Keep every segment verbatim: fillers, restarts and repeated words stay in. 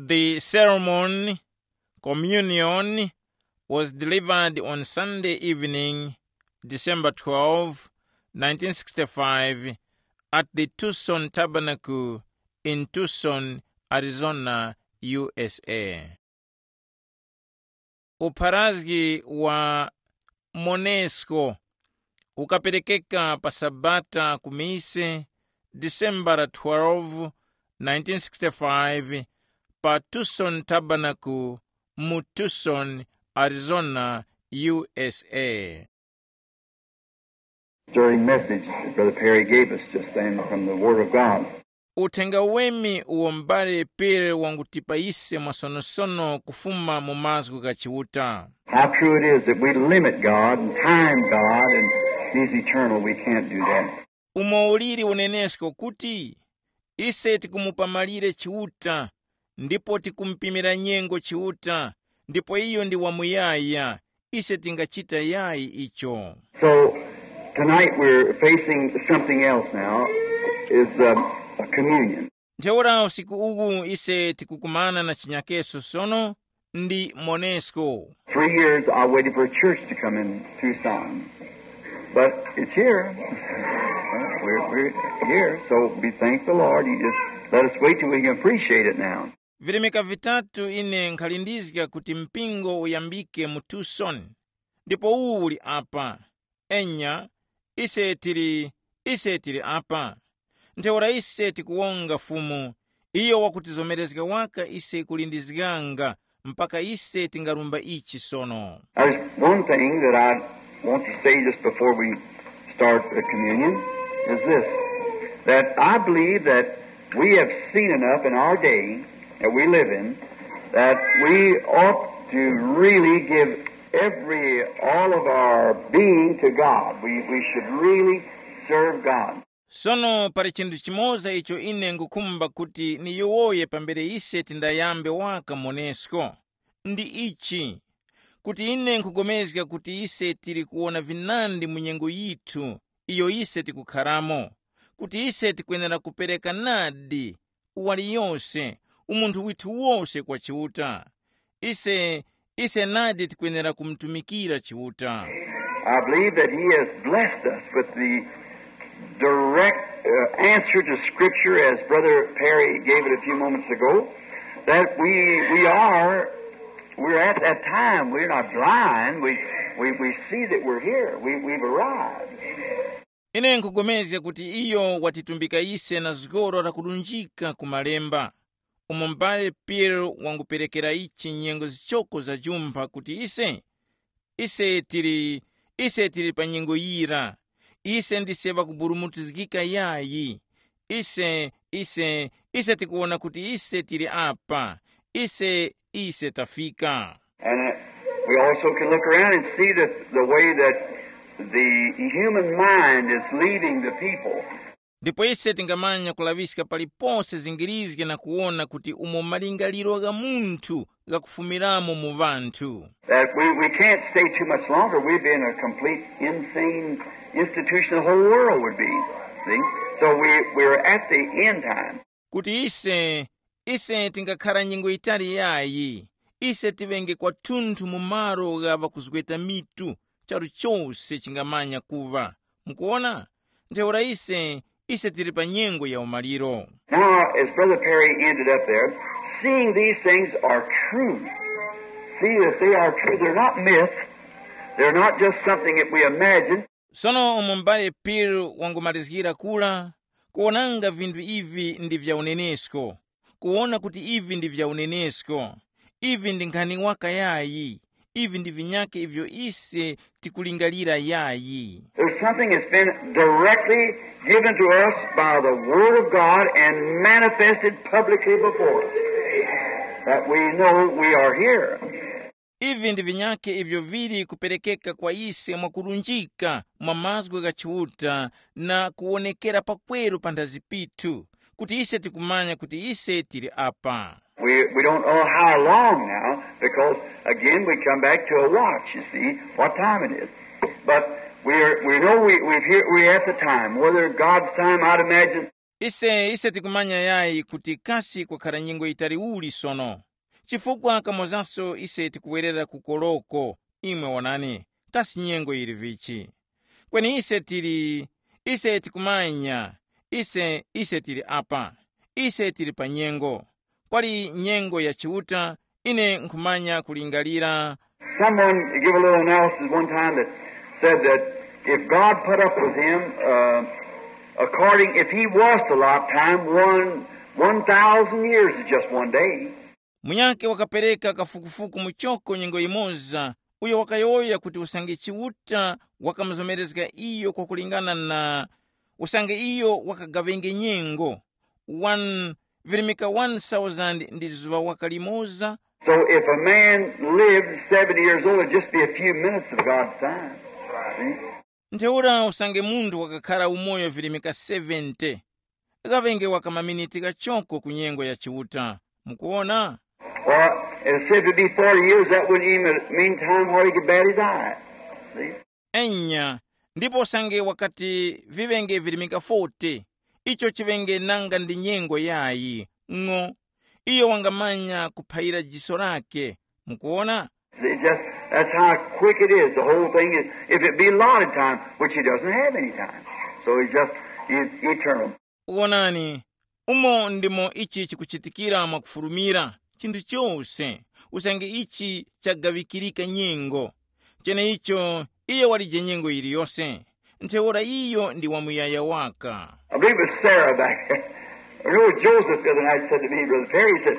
The ceremony, communion, was delivered on Sunday evening, December twelve, nineteen sixty-five, at the Tucson Tabernacle in Tucson, Arizona, U S A. Upharazgi wa Monesco ukaperekeka pa Sabata ku mise, December twelve, nineteen sixty-five, pa Tucson Tabernacle mu Tucson, Arizona, U S A. Stirring message that Brother Perry gave us just then from the Word of God. Uthenga wemi uwo m'bale Pere wangutipa ise mwasonosono kufuma mu mazgu gha Chiuta. How true it is that we limit God and time God, and He's eternal. We can't do that. Umo uliri unenesko kuti ise tikumupa malire Chiuta, ndipo tikumupimira nyengo Chiuta, ndipo iyo ndi wamuyaya, ise tingachita yayi icho. So tonight we're facing something else now, is uh, a communion. Ntheura usiku uwu ise tikukumana na chinyakeso sono, ndi Monesco. Three years I waited for a church to come in Tucson, but it's here. We're, we're here, so we thank the Lord. He just let us wait till we can appreciate it now. Virimika vitatu ine nkhalindizga kuti mpingo uyambike mu Tucson, ndipo uwu uli apa. Enya, ise tili ise tili apa. Ntheura ise tikuwonga Fumu, iyo wakutizomerezga waka ise kulindizganga mpaka ise tingarumba ichi sono. There's one thing that I want to say just before we start the communion, is this, that I believe that we have seen enough in our day that we live in that we ought to really give every, all of our being to God. We, we should really serve God. Sono pali chinthu chimoza icho ine ngukhumba kuti niyowoye pambere ise tindayambe waka Monesco, ndi ichi, kuti ine nkhugomezga kuti ise tili kuwona vinandi mu nyengo yithu iyo ise tikukharamo, kuti ise tikwenera kupereka nadi uwali yose, umunthu withu wose kwa Chiuta. Ise ise nadi tikwenera kumutumikira Chiuta. I believe that He has blessed us with the direct uh, answer to Scripture, as Brother Perry gave it a few moments ago, that we, we are, we're at that time. We're not blind. We, we, we see that we're here. We, we've arrived. Ine nkugomezga kuti iyo watitumbika ise na zgoro lakulunjika ku malemba, umo m'bale Piero wanguperekera ichi nyengo zichoko za jumpha kuti ise, ise tili, ise tili pa nyengo yira, ise ndise ŵakuburumutizgika yayi, ise, ise, ise tikuwona kuti ise tili apa, ise, ise tafika. And uh, we also can look around and see that the way that the human mind is leading the people. Ndipo ise tingamanya kulaŵiska palipose zingirizge na kuwona kuti umo malingaliro gha munthu ghakufumiramo mu ŵanthu. That we, we can't stay too much longer. We'd be in a complete insane institution the whole world would be. See? So we, we're at the end time. Kuti ise ise tingakhara nyengo yitali yayi, ise tiŵenge kwathunthu mu malo gha ŵakuzgweta mitu, charu chose chingamanya kuŵa. Mukuwona? Ntheura ise ise tili pa nyengo ya umaliro. Now, as Brother Perry ended up there, seeing these things are true. See that they are true. They're not myth. They're not just something that we imagine. Sono umo m'bale Piero wangumalizgira kula, kuwonanga vinthu ivi ndi vya unenesko, kuwona kuti ivi ndi vya unenesko, ivi ndi nkhani waka yayi, ivi ndi vinyake ivyo ise tikulingalira yayi. There's something that's been directly given to us by the Word of God and manifested publicly before us that we know we are here. Ivi ndi vinyake ivyo vili kuperekeka kwa ise mwakulunjika mwa mazgu gha Chiuta na kuwonekera pakweru panthazi pithu, kuti ise tikumanya kuti ise tili apa. We, we don't know how long now, because again we come back to a watch, you see, what time it is. But we're, we know we, we've here, we're at the time, whether God's time, I'd imagine. Ise, ise tikumanya yayi kuti kasi kwakhara nyengo yitali uli sono. Chifukwa kamozaso ise tikuwerera ku koloko, imwe wonani, kasi nyengo yili vichi? Kweni ise tili, ise tikumanya, ise, ise tili apa, ise tili pa nyengo. Kwali nyengo ya Chiuta, ine nkhumanya kulingalira. Someone gave a little analysis one time that said that if God put up with him, uh, according, if he was to allot time, one, one thousand years is just one day. Munyakhe wakapereka kafukufuku muchoko nyengo yimoza, uyo wakayowoya kuti usange Chiuta wakamuzomerezga iyo kwakulingana na usange iyo wakagawenge nyengo, one, virimika one thousand ndi zuŵa waka limoza. So if a man lived seventy years old, it'd just be a few minutes of God's time. See? Ntheura usange munthu wakakhara umoyo virimika seventy, ghaŵenge waka maminiti ghachoko ku nyengo ya Chiuta. Mukuona? Or if it said to be forty years, that wouldn't even mean time where he could barely die. See? Enya, ndipo usange wakati viŵenge virimika forty, icho chiŵenge nanga ndi nyengo yayi, ng'o. Iyo wangamanya kuphayira jiso lake. Mukuona? See, just, that's how quick it is. The whole thing is, if it be allotted time, which he doesn't have any time. So he's just, he's eternal. Wonani, umo ndimo ichi chikuchitikira mwakufulumira, chinthu chose, usange ichi chagaŵikirika nyengo. Cheneicho, iyo walije nyengo yiliyose, ntheura iyo ndi wamuyaya waka. I believe it was Sarah back there. I know Joseph the other night said to me, Brother Perry, he said,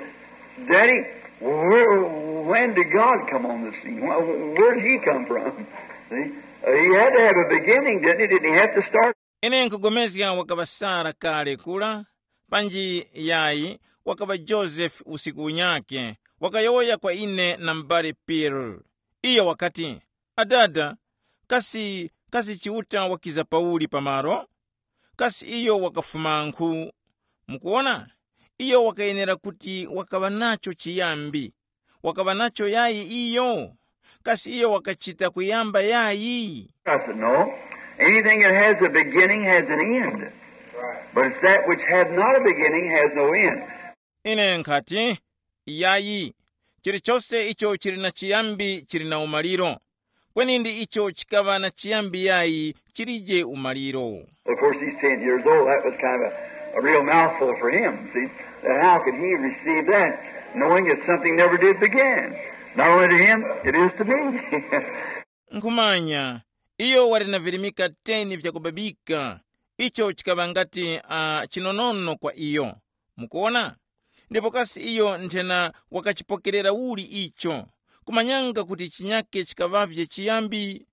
"Daddy, where, when did God come on the scene? Where, where did he come from?" See? Uh, he had to have a beginning, didn't he? Didn't he have to start? Ine nkugomezga wakaŵa Sara kale kura, panji yayi, wakaŵa Joseph usiku unyakhe, wakayowoya kwa ine na m'bale Peter. Iyo wakati, "Adada, kasi, kasi Chiuta wakiza pauli pamaro? Kasi iyo wakafumankhu?" Mukuwona? Iyo wakayenera kuti wakaŵa nacho chiyambi. Wakaŵa nacho yayi iyo? Kasi iyo wakachita kuyamba yayi? I said, "No. Anything that has a beginning has an end. But it's that which had not a beginning has no end." Ine nkhati, yayi, chilichose icho chili na chiyambi chili na umaliro. Kweni ndi icho chikaŵa na chiyambi yayi chilije umaliro. Of course, he's ten years old. That was kind of a, a real mouthful for him, see? That how could he receive that, knowing that something never did begin? Not only to him, it is to me. Nkhumanya, iyo wali na virimika ten vyakubabika, icho chikaŵa ngati uh, chinonono kwa iyo. Mukuona? Ndipo kasi iyo nthena wakachipokerera uli icho, kumanyanga kuti chinyake chikaŵavye chiyambi?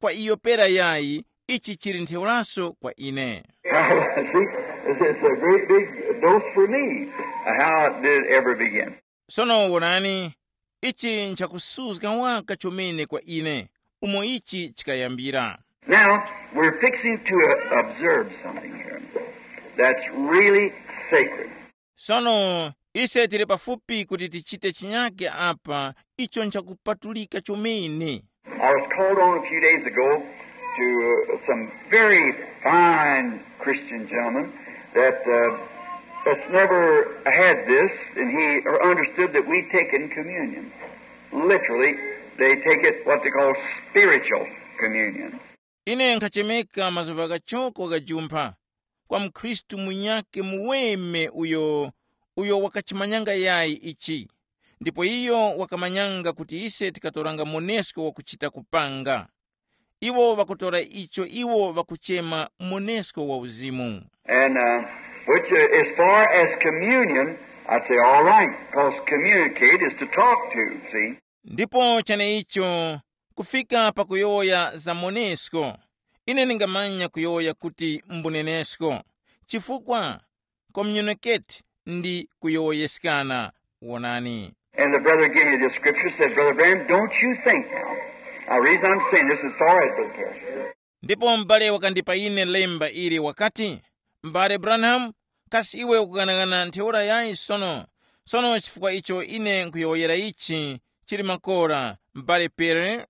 Kwa iyo pera yayi, ichi chili ntheuraso kwa ine. See, it's, it's a great big dose for me, how it did ever begin. Sono wonani, ichi nchakusuzga waka chomene kwa ine, umo ichi chikayambira. Now, we're fixing to uh, observe something here that's really sacred. Sono, ise tili pafupi kuti tichite chinyake apa, icho nchakupatulika chomene. I was called on a few days ago to uh, some very fine Christian gentlemen that uh, that's never had this, and he understood that we take in communion. Literally, they take it what they call spiritual communion. Ine nkhachemeka mazuva ghachoko ghajumpha kwa mkhristu munyakhe muweme uyo, uyo wakachimanyanga yayi ichi. Ndipo iyo wakamanyanga kuti ise tikatoranga monesko wakuchita kupanga. Iwo ŵakutora icho iwo ŵakuchema monesko wa uzimu. And uh, which, uh, as far as communion, I'd say all right, because communicate is to talk to, see? Ndipo cheneicho, kufika pakuyowoya za monesko, ine ningamanya kuyowoya kuti mbunenesko, chifukwa communicate ndi kuyowoyeskana. Wonani. And the brother gave me this scripture, said, "Brother Branham, don't you think now." Now, the reason I'm saying this is all right, Brother Perry. Ndipo m'bale wakandipa ine lemba ili wakati, "M'bale Branham, kasi iwe ukughanaghana ntheura yayi sono? Sono chifukwa icho ine nkuyowoyera ichi chili makora, m'bale Pere."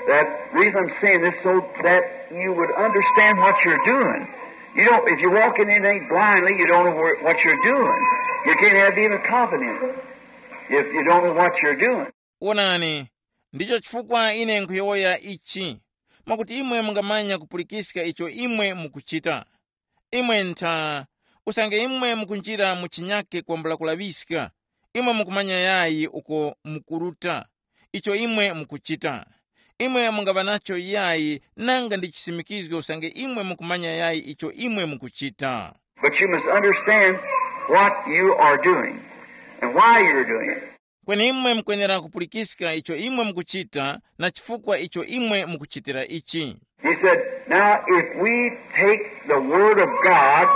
That reason I'm saying this so that you would understand what you're doing. You don't, if you walk in anything blindly, you don't know where, what you're doing. You can't have even confidence if you don't know what you're doing. Wonani, ndicho chifukwa ine nkhuyowoya ichi, mwakuti imwe mungamanya kupulikiska icho imwe mukuchita. Imwe ntha, usange imwe mukunjira mu chinyake kwambula kulaŵiska, imwe mukumanya yayi uko mukuruta, icho imwe mukuchita. Imwe mungaŵa nacho yayi nanga ndi chisimikizgo usange imwe mukumanya yayi icho imwe mukuchita. But you must understand what you are doing and why you're doing it. Kweni imwe mukwenera kupulikiska icho imwe mukuchita na chifukwa icho imwe mukuchitira ichi. He said, "Now, if we take the Word of God,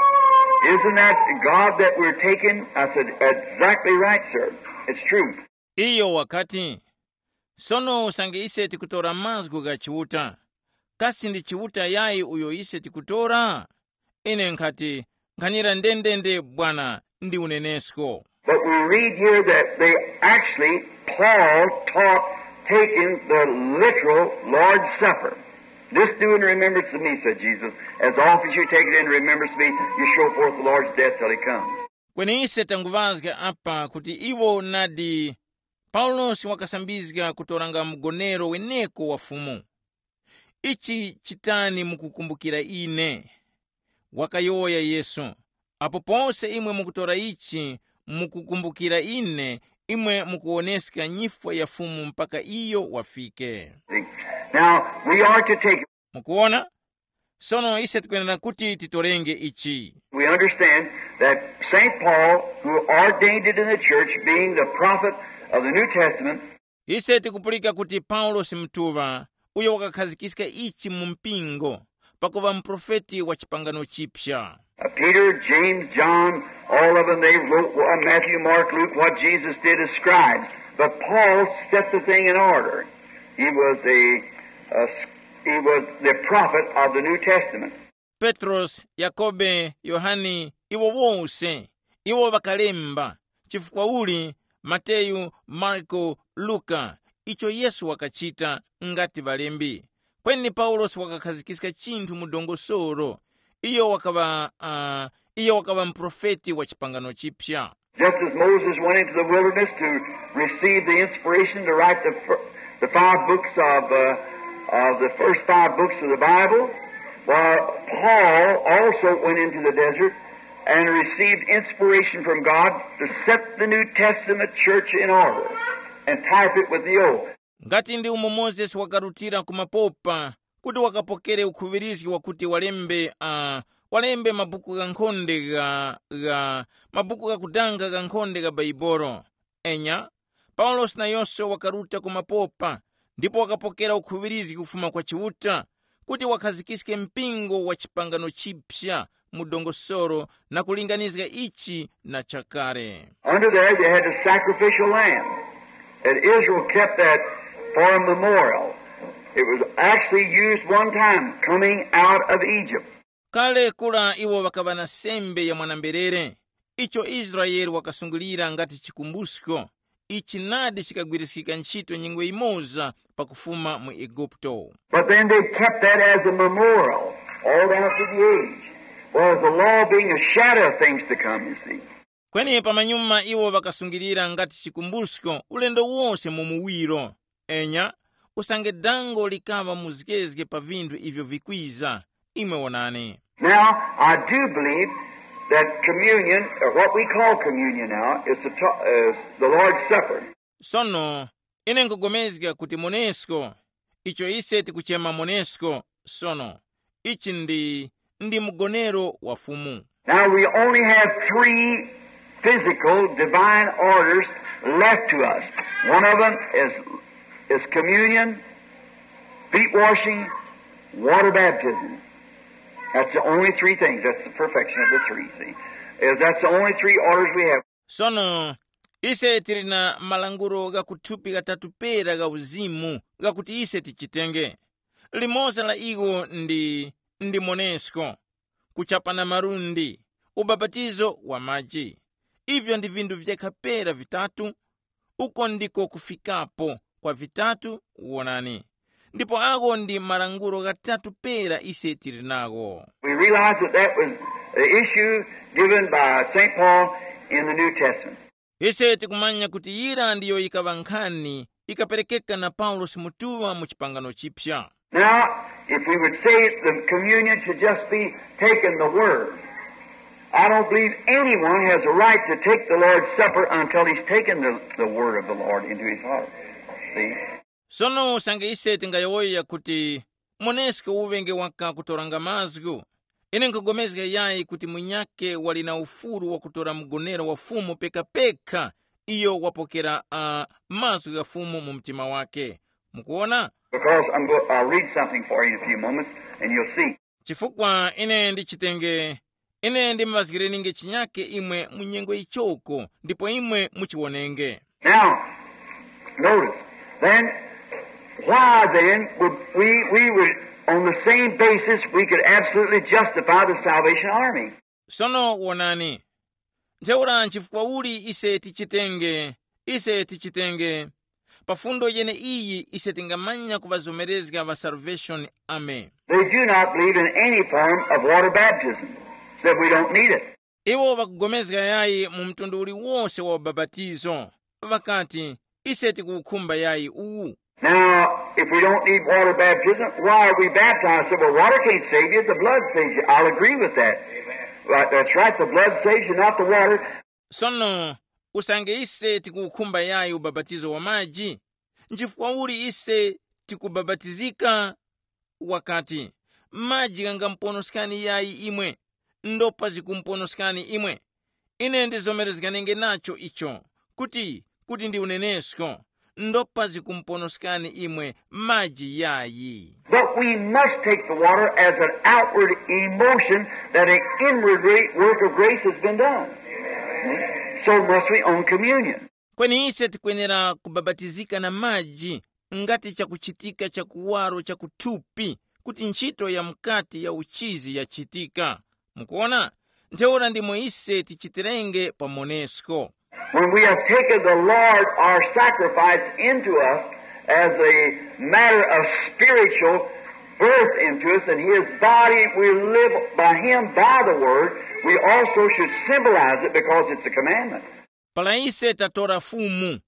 isn't that God that we're taking?" I said, "Exactly right, sir. It's true." Iyo wakati, sono usange ise tikutora mazgu gha Chiuta, kasi ndi Chiuta yayi uyo ise tikutora? Ine nkhati, nkhanira ndendende bwana, ndi unenesko. But we read here that they actually, Paul taught taking the literal Lord's Supper. "This do in remembrance of me," said Jesus. "As often as you take it in remembrance of me, you show forth the Lord's death till he comes." Kweni ise tanguŵazga apa kuti iwo nadi, Paulosi wakasambizga kutoranga mgonero weneko wa Fumu. Ichi chitani mukukumbukira ine? Wakayowoya Yesu. Apo pose imwe mukutora ichi mukukumbukira ine, imwe mukuwoneska nyifwa ya Fumu mpaka iyo wafike. Now, we are to take, Mukuona? Sono ise tikwenera kuti titorenge ichi. We understand that Saint Paul, who ordained it in the church, being the prophet of the New Testament, Ise tikupulika kuti Paulosi Mutuŵa, uyo wakakhazikiska ichi mu mpingo, pakuŵa muprofeti wa chipangano chipya. uh, Peter, James, John, all of them, they wrote, uh, Matthew, Mark, Luke, what Jesus did as scribes. But Paul set the thing in order. He was a, a, he was the prophet of the New Testament. Petrosi, Yakobe, Yohane, iwo wose, iwo ŵakalemba, chifukwa uli, Mateyu, Marko, Luka, icho Yesu wakachita ngati ŵalembi. Kweni Paulosi wakakhazikiska chinthu mu dongosolo. Iyo wakaŵa uh, iyo wakaŵa muprofeti wa chipangano chipya. Just as Moses went into the wilderness to receive the inspiration to write the, fir- the five books of, uh, of the first five books of the Bible, while Paul also went into the desert and received inspiration from God to set the New Testament church in order and type it with the old. Ngati ndi umo Mozesi wakarutira ku mapopa kuti wakapokere ukhuŵirizgi wakuti walembe uh, walembe mabuku ghankhonde gha, gha mabuku ghakudanga ghankhonde gha Baibolo. Enya, Paulosi nayonso wakaruta ku mapopa ndipo wakapokera ukhuŵirizgi kufuma kwa Chiuta kuti wakhazikiske mpingo wa chipangano chipya mu dongosolo na kulinganizga ichi na chakale. Under there, they had a sacrificial lamb, and Israel kept that for a memorial. It was actually used one time coming out of Egypt. Kale kula iwo ŵakaŵa na sembe ya mwanamberere, icho Israele wakasungilira ngati chikumbusko. Ichi nadi chikagwiriskika ntchito nyengo yimoza pakufuma mu Eguputo. But then they kept that as a memorial all down through the age. Well, the law being a shadow of things to come, you see. Kweni pamanyuma iwo ŵakasungilira ngati chikumbusko ulendo wose mu muwiro. Enya, usange dango likaŵa muzgezge pa vinthu ivyo vikwiza, imwe wonani. Now, I do believe that communion, or what we call communion now, is the, ta- is the Lord's Supper. Sono, ine nkugomezga kuti monesko, icho ise tikuchema monesko sono, ichi ndi ndi mgonero wa Fumu. Now, we only have three physical divine orders left to us. One of them is, is communion, feet washing, water baptism. That's the only three things. That's the perfection of the three, see? Is that's the only three orders we have. Sono, ise tili na malangulo gha kuthupi ghatatu pera gha uzimu ghakuti ise tichitenge. Limodzi la iwo ndi ndi monesko, kuchapana malundi, ubapatizo wa maji. Ivyo ndi vinthu vyekha pera vitatu. Uko ndiko kufikapo kwa vitatu. Wonani, Ndipo agho ndi malangulo ghatatu pera ise tili nagho. We realize that that was the issue given by Saint Paul in the New Testament. Ise tikumanya kuti yira ndiyo yikaŵa nkhani ikaperekeka na Paulosi mutuŵa mu chipangano chipya. Now, if we would say the communion should just be taking the Word, I don't believe anyone has a right to take the Lord's Supper until he's taken the, the Word of the Lord into his heart. See? Sono usange ise tingayowoya kuti moneske uŵenge waka kutoranga mazgu, ine nkugomezga yayi kuti munyakhe wali na ufulu wakutora mgonero wa Fumu pekapeka iyo wapokera uh, mazgu gha Fumu mu mtima wake. Mukuona? Because I'm go- I'll read something for you in a few moments, and you'll see. Chifukwa ine ndichitenge, ine ndimuvazgireninge chinyake imwe mu nyengo ichoko, ndipo imwe muchiwonenge. Now, notice, then, why then would we, we would, on the same basis, we could absolutely justify the Salvation Army? Sono wonani, ntheura nchifukwa uli ise tichitenge, ise tichitenge pa fundo yene iyi ise tingamanya kuŵazomerezga ŵa Salvation Army. They do not believe in any form of water baptism. Said we don't need it. Iwo ŵakugomezga yayi mu mtundu uliwose wa ubapatizo, ŵakati, ise tikuwukhumba yayi uwu. Now, if we don't need water baptism, why are we baptized? Said, well, water can't save you, the blood saves you. I'll agree with that. Right, that's right, the blood saves you, not the water. Sono usange ise tikuwukhumba yayi ubapatizo wa maji, nchifukwa uli ise tikubabatizika? Wakati, maji ghangamuponoskani yayi imwe, ndopa zikumuponoskani imwe. Ine ndizomerezganenge nacho icho, kuti kuti ndi unenesko, ndopa zikumuponoskani imwe maji yayi. But we must take the water as an outward emotion that an inward work of grace has been done. So must we on communion. Kweni ise tikwenera kubabatizika na maji ngati chakuchitika cha kuwaro cha kuthupi, kuti ntchito ya mukati ya uchizi yachitika. Mukuona? Ntheura ndimo ise tichitirenge pa monesko. When we have taken the Lord, our sacrifice, into us as a matter of spiritual birth into us, and his body, we live by him by the word, we also should symbolize it because it's a commandment. Para ise tatora Fumu,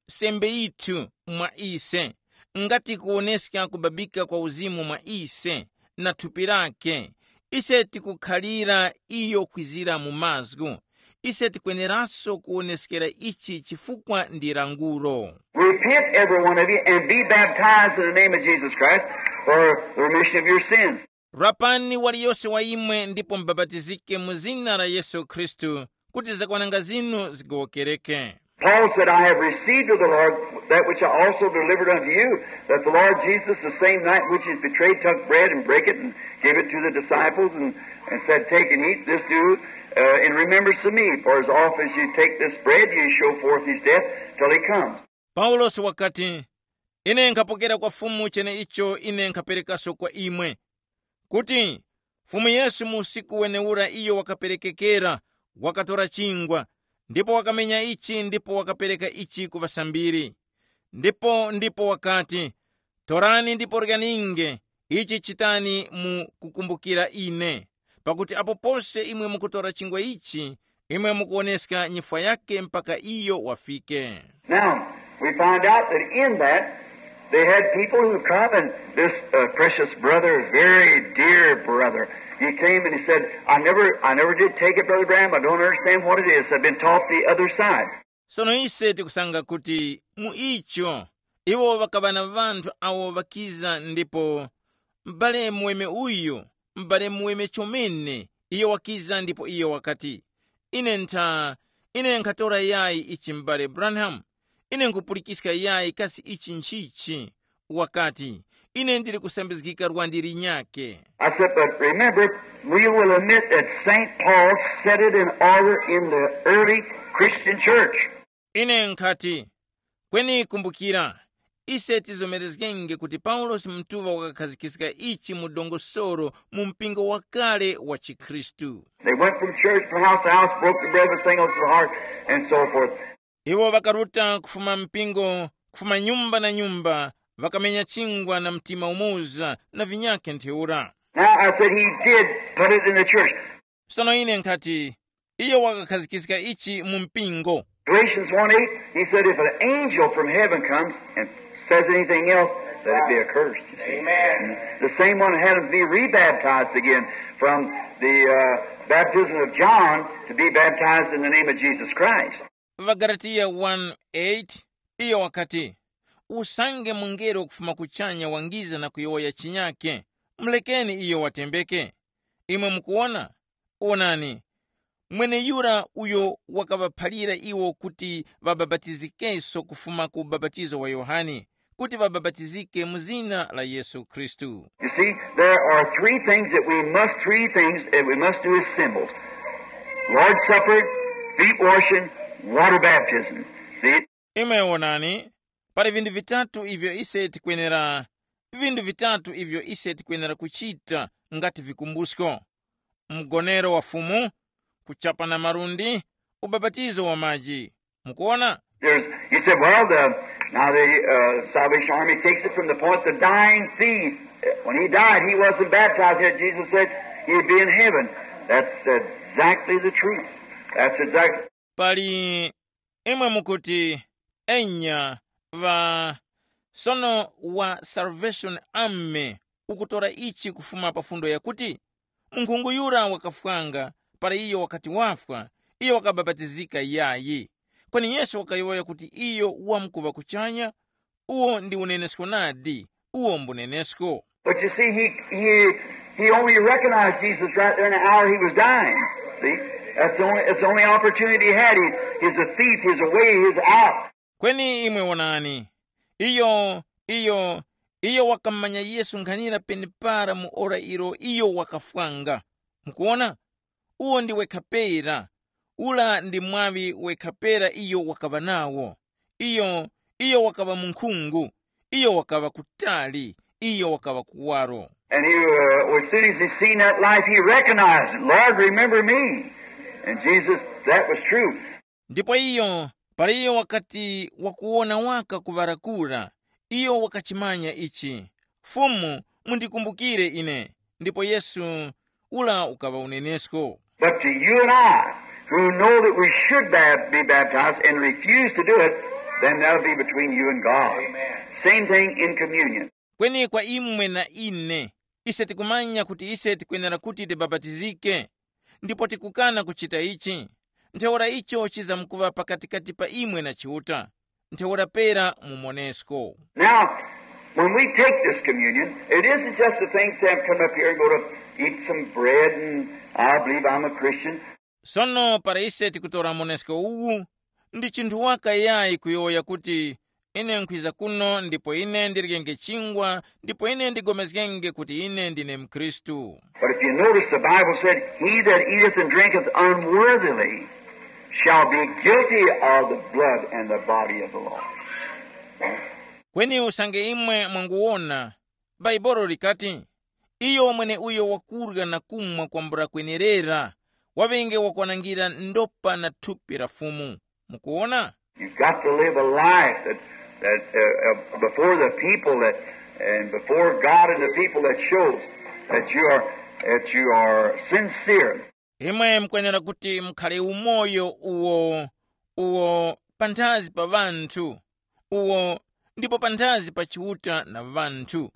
sembe yithu mwa ise, ngati kuwoneska kubabika kwa uzimu mwa ise, na thupi lake, ise tikukhalira iyo kwizira mu mazgu. Ise tikweneranso kuwoneskera ichi chifukwa ndi languro. Repent, every one of you, and be baptized in the name of Jesus Christ for the remission of your sins. Rapani waliyose wa imwe ndipo mubabatizike mu zina la Yesu Khristu, kuti zakwananga zinu zigowokereke. Paul said, I have received of the Lord that which I also delivered unto you, that the Lord Jesus, the same night which he was betrayed, took bread and brake it and gave it to the disciples and, and said, take and eat, this do uh, in remembrance of me. For as often as you take this bread, you show forth his death till he comes. Paulosi wakati, ine nkhapokera kwa Fumu cheneicho ine nkhaperekaso kwa imwe, kuti Fumu Yesu mu usiku wenewura iyo wakaperekekera, wakatora chingwa, ndipo wakamenya ichi ndipo wakapereka ichi ku ŵasambiri. Ndipo ndipo wakati, torani ndipo ryaninge, ichi chitani mu kukumbukira ine. Pakuti apo pose imwe mukutora chingwa ichi, imwe mukuwoneska nyifwa yake mpaka iyo wafike. Now, we find out that in that, they had people who come, and this uh, precious brother, very dear brother, he came and he said, I never, I never did take it, Brother Graham. I don't understand what it is. I've been taught the other side. Sono ise tikusanga kuti mu icho iwo ŵakaŵa na ŵanthu awo ŵakiza ndipo m'bale muweme uyu, m'bale muweme chomene, iyo wakiza ndipo iyo wakati, ine ntha, ine nkhatora yayi ichi m'bale Branham, ine nkhupulikiska yayi kasi ichi nchichi? Wakati, ine ndili kusambizgika lwandi linyakhe. I said, but remember, we will admit that Saint Paul set it in order in the early Christian church. Ine nkhati, kweni kumbukira, ise tizomerezgenge kuti Paulosi mutuŵa wakakhazikiska ichi mu dongosolo mu mpingo wakale wa chikhristu. They went from church to house to house, broke the bread with singleness of heart, and so forth. Iwo ŵakaruta kufuma mpingo, kufuma nyumba na nyumba, ŵakamenya chingwa na mtima umoza na vinyakhe ntheura. Now I said he did put it in the church. Sono ine nkhati, iyo wakakhazikiska ichi mu mpingo. Galatians one eight, he said, "If an angel from heaven comes and says anything else, let it be accursed." You see? Amen. The same one had him to be rebaptized again from the uh, baptism of John to be baptized in the name of Jesus Christ. Ŵagalatiya one eight, iyo wakati, usange mungelo kufuma kuchanya wangiza na kuyowoya chinyake, mulekeni iyo watembeke. Imwe mukuwona? Wonani, mweneyura uyo wakaŵaphalira iwo kuti ŵabapatizikenso kufuma ku ubapatizo wa Yohane, kuti ŵabapatizike mu zina la Yesu Khristu. You see, there are three things that we must, three things that we must do as symbols: Lord's Supper, feet washing, water baptism. See? Imwe wonani, pali vinthu vitatu ivyo ise tikwenera, vinthu vitatu ivyo ise tikwenera kuchita ngati vikumbusko: mgonero wa Fumu, kuchapa na malundi, ubapatizo wa maji. Mukuona? There's, he said, well, the, now the uh, Salvation Army takes it from the point the dying thief. When he died, he wasn't baptized yet. Jesus said he'd be in heaven. That's exactly the truth. That's exactly. Pali imwe mukuti, enya, ŵa sono wa Salvation Army ukutora ichi kufuma pa fundo yakuti, munkhungu yura wakafwanga, para iyo wakati wafwa, iyo wakabapatizika yayi. Kweni Yesu wakayowoya kuti iyo wamkuŵa kuchanya. Uwo ndi unenesko nadi. Uwo mbunenesko. But you see, he, he, he only recognized Jesus right there in the hour he was dying. See? That's the only, that's the only opportunity he had. He, he's a thief, he's away, he's out. Kweni imwe wonani, iyo iyo iyo wakammanya Yesu nkhanira penepara mu ora ilo iyo wakafwanga. Mukuona? Uwo ndi wekha pera. Ula ndi mwaŵi wekha pera iyo wakaŵa nawo. Iyo iyo wakaŵa munkhungu. Iyo wakaŵa kutali. Iyo wakaŵa kuwaro. And he, uh, as soon as he seen that life, he recognized it. Lord, remember me. And Jesus, that was true. Ndipo iyo, para iyo wakati wakuwona waka kuŵarakura, iyo wakachimanya ichi, Fumu, mundikumbukire ine. Ndipo Yesu ula ukaŵa unenesko. But to you and I, who know that we should ba- be baptized and refuse to do it, then that'll be between you and God. Same thing in communion. Kweni kwa imwe na ine, ise tikumanya kuti ise tikwenera kuti tibapatizike, ndipo tikukana kuchita ichi, ntheura icho chizamkuŵa pakatikati pa imwe na Chiuta, ntheura pera mumonesko. Now, when we take this communion, it isn't just the things that come up here and go to eat some bread and I believe I'm a Christian. Sono para ise tikutora monesko uwu, ndi chinthu waka yayi kuyowoya kuti, ine nkhwiza kuno ndipo ine ndiryenge chingwa ndipo ine ndigomezgenge kuti ine ndine mkhristu. But if you notice, the Bible said, "He that eateth and drinketh unworthily shall be guilty of the blood and the body of the Lord." Kweni usange imwe mwanguwona, Baibolo likati, iyo mwene uyo wakurya na kumwa kwambula kwenerera, waŵenge wakwanangira ndopa na thupi la Fumu. Mukuwona? You've got to live a life that, that uh, uh, before the people that, and before God and the people that shows that you are, that you are sincere. Imwe mukwenera kuti mukhale umoyo uwo, uwo panthazi pa ŵanthu, uwo ndipo panthazi pa Chiuta na ŵanthu,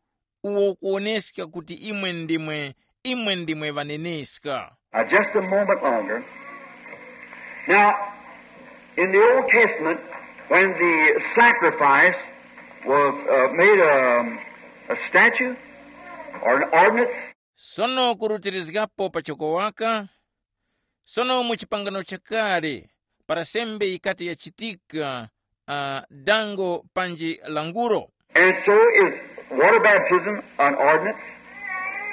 uwo kuwoneska kuti imwe ndimwe, imwe ndimwe ŵaneneska. Now, just a moment longer. Now, in the Old Testament, when the sacrifice was uh, made a, a statute or an ordinance, Sono kurutirizgapo pachoko waka, sono mu chipangano chakale, para sembe yikati yachitika, uh, dango panji languro. And so is water baptism an ordinance.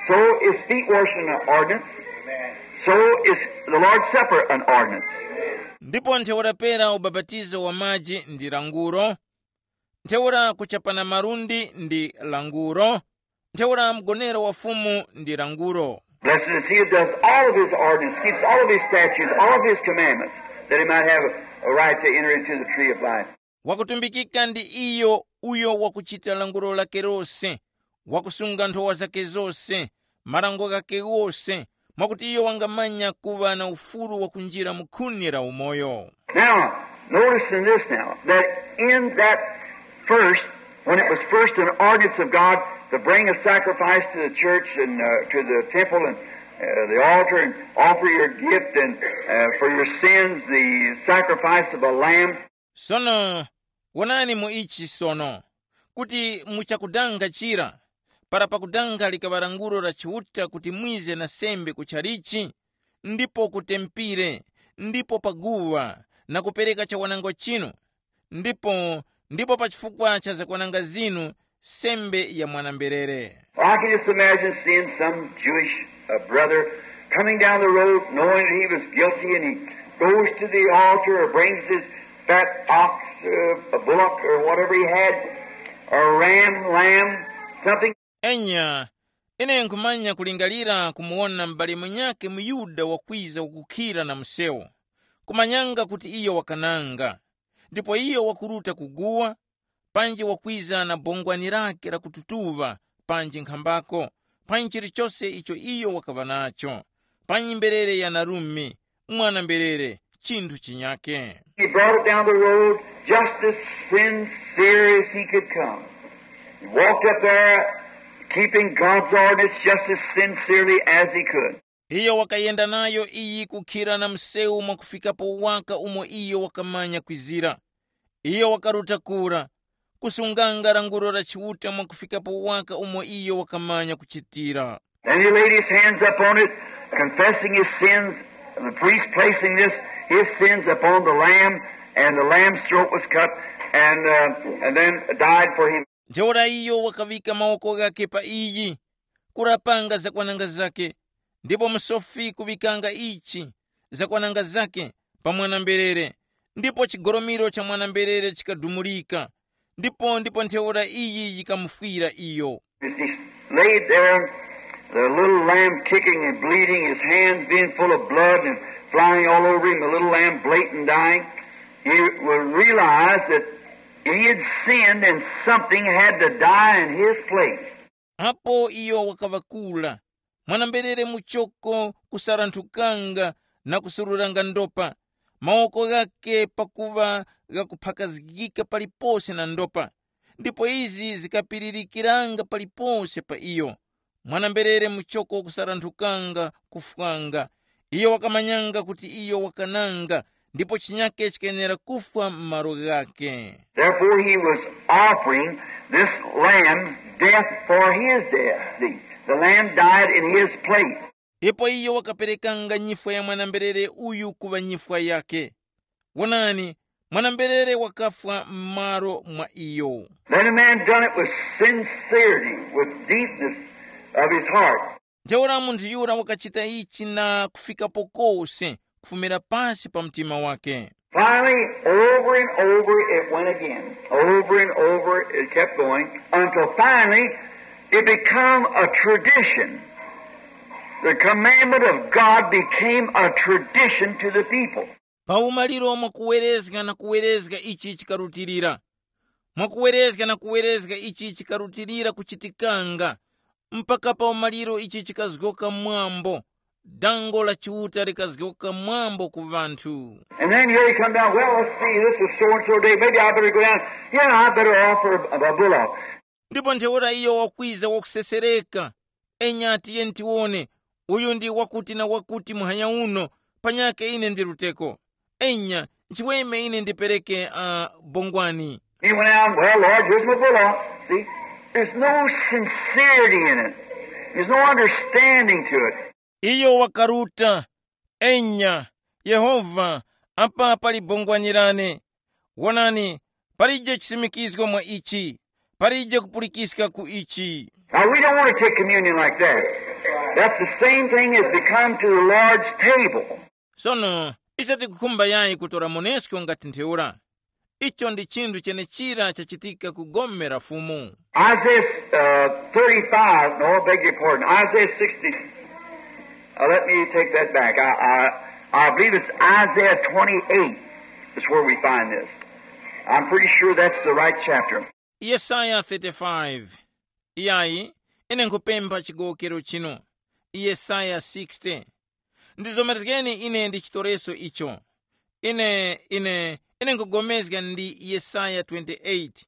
So is feet washing an ordinance. So is the Lord's Supper an ordinance. Ndipo ntheura pera ubapatizo wa maji ndi languro, ntheura kuchapana malundi ndi languro, ntheura mgonero wa Fumu ndi languro. Blessed is he that does all of his ordinance, keeps all of his statutes, all of his commandments, that he might have a right to enter into the tree of life. Wakutumbikika ndi iyo uyo wakuchita languro lake lose, wakusunga nthowa zake zose, marango ghake ghose, mwakuti iyo wangamanya kuŵa na ufulu wakunjira mu khuni la umoyo. Now, notice in this now, that in that first, when it was first an ordinance of God to bring a sacrifice to the church and uh, to the temple and uh, the altar and offer your gift and uh, for your sins the sacrifice of a lamb. Sono wonani mu ichi sono, kuti muchakudanga chira, para pakudanga likaŵa languro la Chiuta kuti mwize na sembe ku chalichi, ndipo ku tempire, ndipo pa guwa, na kupereka chawanango chinu, ndipo ndipo pa chifukwa cha zakwananga zinu, sembe ya mwanamberere. I can just imagine seeing some Jewish uh, brother coming down the road knowing that he was guilty and he goes to the altar or brings his fat ox, uh, a bullock or whatever he had, or a ram, lamb, something. Enya, ine nkhumanya kulingalira kumuwona m'bale mwenyake muyuda wakwiza kukhira na msewu, kumanyanga kuti iyo wakananga, ndipo iyo wakuruta kuguwa, panji wakwiza na bongwani lake la kututuŵa, panji nkhambako, panji chilichose icho iyo wakaŵa nacho, panji mberere ya narume, mwana mberere, chinthu chinyake. He brought it down the road just as sincere as he could come. He walked up there keeping God's ordinance just as sincerely as he could. Iyo wakayenda nayo iyi kukhira na msewu mwakufikapo waka umo iyo wakamanya kwizira. Iyo wakaruta kura, kusunganga languro la Chiuta mwakufikapo waka umo iyo wakamanya kuchitira. Then he laid his hands upon it, confessing his sins, and the priest placing this, his sins upon the lamb, and the lamb's throat was cut, and, uh, and then died for him. Ntheura iyo wakaŵika mawoko ghakhe pa iyi, kurapanga zakwananga zakhe, ndipo musofi kuŵikanga ichi, zakwananga zakhe, pa mwana-mberere, ndipo chigolomiro cha mwana-mberere chikadumulika, ndipo ndipo ntheura iyi yikamufwira iyo. As he laid there, the little lamb kicking and bleeding, his hands being full of blood and flying all over him, the little lamb bleating, dying, he would realize that he had sinned and something had to die in his place. Apo iyo wakaŵa kura, mwana-mberere muchoko kusaranthukanga na kusururanga ndopa, mawoko ghakhe pakuŵa ghakuphakazgika palipose na ndopa, ndipo izi zikapiririkiranga palipose pa iyo. Mwana-mberere muchoko kusaranthukanga kufwanga. Iyo wakamanyanga kuti iyo wakananga, ndipo chinyake chikayenera kufwa m'malo ghakhe. Therefore, he was offering this lamb's death for his death. See, the lamb died in his place. Ipo iyo wakaperekanga nyifwa ya mwana-mberere uyu kuŵa nyifwa yakhe. Wonani, mwana-mberere wakafwa m'malo mwa iyo. Then a man done it with sincerity, with deepness of his heart. Ntheura munthu yura wakachita ichi na kufikapo kose kufumira pasi pa mtima wake. Finally, over and over it went again. Over and over it kept going until finally it became a tradition. The commandment of God became a tradition to the people. Pa umaliro mwakuwerezga na kuwerezga ichi chikarutilira, mwakuwerezga na kuwerezga ichi chikarutilira kuchitikanga, mpaka pa umaliro ichi chikazgoka mwambo, dango la Chiuta likazgoka mwambo ku ŵanthu. And then here he come down, well, let's see, this is so and so day, maybe I better go down. Yeah, I better offer a, a bullock. Ndipo ntheura iyo wakwiza wakusesereka, enya tiye tiwone, uyu ndi wakuti na wakuti muhanya uno, panyakhe ine ndiruteko. Enya, nchiweme ine ndipereke uh, bongwani. He went out, well, Lord, here's my bullock. See, there's no sincerity in it. There's no understanding to it. Iyo wakaruta, enya, Yehova, apa pali bongwani lane. Wonani, palije chisimikizgo mwa ichi, palije kupulikiska ku ichi. Now, we don't want to take communion like that. That's the same thing as to come to the Lord's table. Sono, ise tikukhumba yayi kutora monesko ngati ntheura. Icho ndi chinthu chenechira chachitika ku gome la Fumu. Isaiah uh, thirty-five, no, I beg your pardon, Isaiah sixty. Uh, let me take that back. I, I, I believe it's Isaiah twenty-eight is where we find this. I'm pretty sure that's the right chapter. Yesaya thirty-five. Iyayi, ine nkhupempha chigowokero chino. Yesaya sixty. Ndizomerezgeni ine ndi chitoreso icho. Ine, ine, ine nkugomezga ndi Yesaya twenty-eight.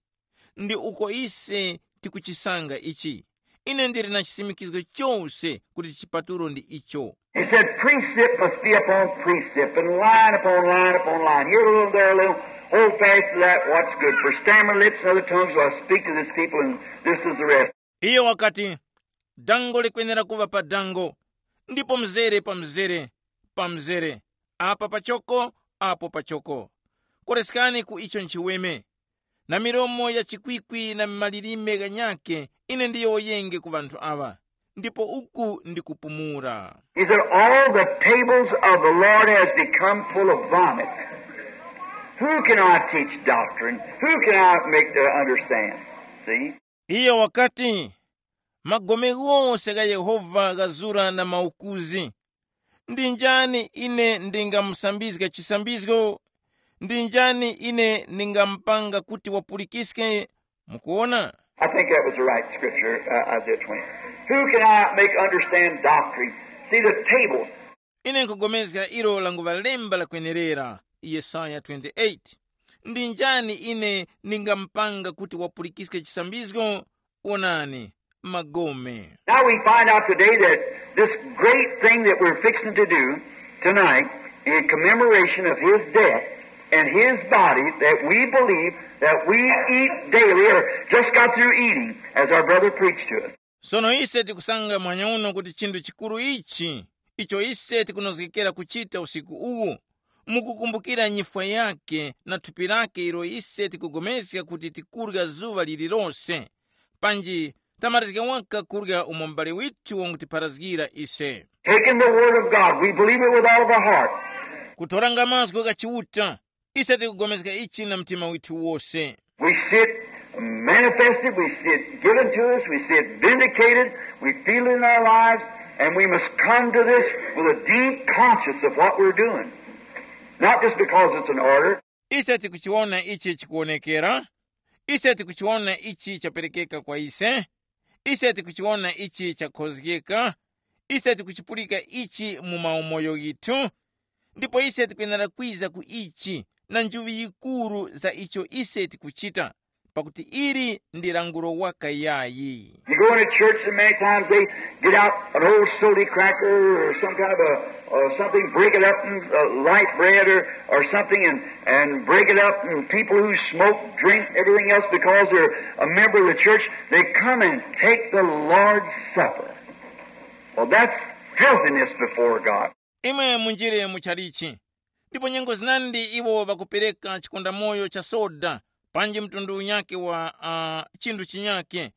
Ndi uko ise tikuchisanga ichi. Ine ndili na chisimikizgo chose kuti chipatulo ndi icho. He said, "Precept must be upon precept, and line upon line upon line. Here a little, there a little. Hold fast to that, what's good. For stammering lips and other tongues will I speak to this people, and this is the rest." Iyo wakati, dango likwenera kuva pa dango, ndipo mzere pa mzere, pa mzere, apa pachoko, apo pachoko. Koreskani ku icho nchiweme. Na milomo ya chikwikwi na malilime ghanyakhe ine ndiyowoyenge ku ŵanthu aŵa, ndipo uku ndikupumula. He said, "All the tables of the Lord has become full of vomit. Who can I teach doctrine? Who can I make to understand?" See? Iyo wakati, magome ghose gha Yehova ghazura na maukuzi. Ndi njani ine ndingamusambizga chisambizgo? Ndi njani ine ndingamupanga kuti wapulikiske? Mukuona? I think that was the right scripture, uh, Isaiah twenty. Who can I make understand doctrine? See the tables. Ine nkugomezga ilo languva lemba lakwenerera, Yesaya twenty-eight. Ndi njani ine ndingamupanga kuti wapulikiske chisambizgo? Wonani, magome. Now we find out today that this great thing that we're fixing to do tonight in commemoration of his death and his body that we believe that we eat daily or just got through eating as our brother preached to us. Sono ise tikusanga mwanya uno kuti chinthu chikuru ichi icho ise tikunozgekera kuchita usiku uwu, mukukumbukira nyifwa yake na thupi lake ilo ise tikupulikana kuti tikurya zuŵa lililose, panji tamalizga waka kurya umo m'bale withu wangutipharazgira ise. Taking the word of God, we believe it with all of our heart. Kutoranga mazgu gha Chiuta, ise tikupulikana ichi na mtima withu wose. We see it manifested, we see it given to us, we see it vindicated, we feel it in our lives, and we must come to this with a deep conscience of what we're doing. Not just because it's an order. Ise tikuchiona ichi chikuonekera, ise tikuchiona ichi chaperekeka kwa ise, ise tikuchiona ichi chakhozgeka, ise tikuchipulika ichi mu maumoyo ghithu, ndipo ise tikwenera kwiza ku ichi na njuŵi yikuru za icho ise tikuchita, pakuti ili ndi langulo waka yayi. You go into church and many times they get out an old sody cracker or some kind of a, or something, break it up and uh, light bread or, or something and, and break it up and people who smoke, drink, everything else because they're a member of the church, they come and take the Lord's Supper. Well, that's filthiness before God. Imwe munjire mu chalichi, ndipo nyengo zinandi iwo ŵakupereka chikondamoyo cha soda, panji mtundu unyakhe wa uh, chinthu chinyakhe,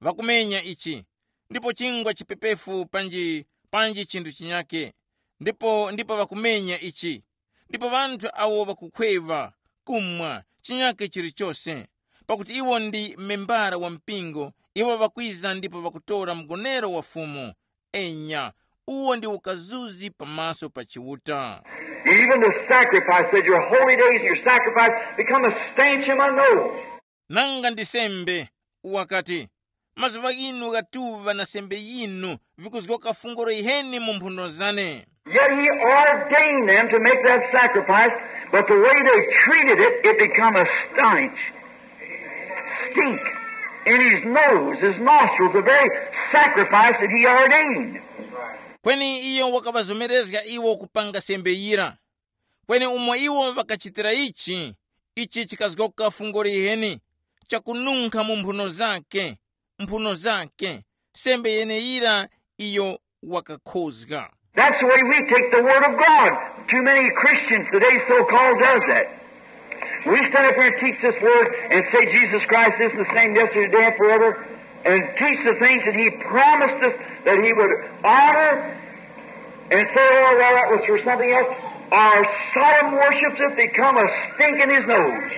ŵakumenya ichi, ndipo chingwa chipepefu panji panji chinthu chinyakhe, ndipo ndipo ŵakumenya ichi, ndipo ŵanthu awo ŵakukhweva, kumwa, chinyakhe chilichose, pakuti iwo ndi membara wa mpingo, iwo ŵakwiza ndipo ŵakutora mgonero wa Fumu. Enya, uwo ndi ukazuzi pamaso pa Chiuta. Even the sacrifice, said, "Your holy days and your sacrifice become a stench in my nose." Nanga ndi sembe, wakati, mazuŵa ghinu ghatuŵa na sembe yinu vikuzgoka fungolo yiheni mu mphuno zane. Yet he ordained them to make that sacrifice, but the way they treated it, it become a stench, stink in his nose, his nostrils, the very sacrifice that he ordained. Kweni iyo wakaŵazomerezga iwo kupanga sembe yira. Kweni umo iwo ŵakachitira ichi, ichi chikazgoka fungo liheni, chakununkha mu mphuno zake, mphuno zake, sembe yeneyira iyo wakakhozga. That's the way we take the Word of God. Too many Christians today so-called does that. We stand up here and teach this Word and say Jesus Christ is the same yesterday, today, and forever, and teach the things that He promised us that He would honor and say, "Oh, well, that was for something else." Our solemn worships have become a stink in His nose.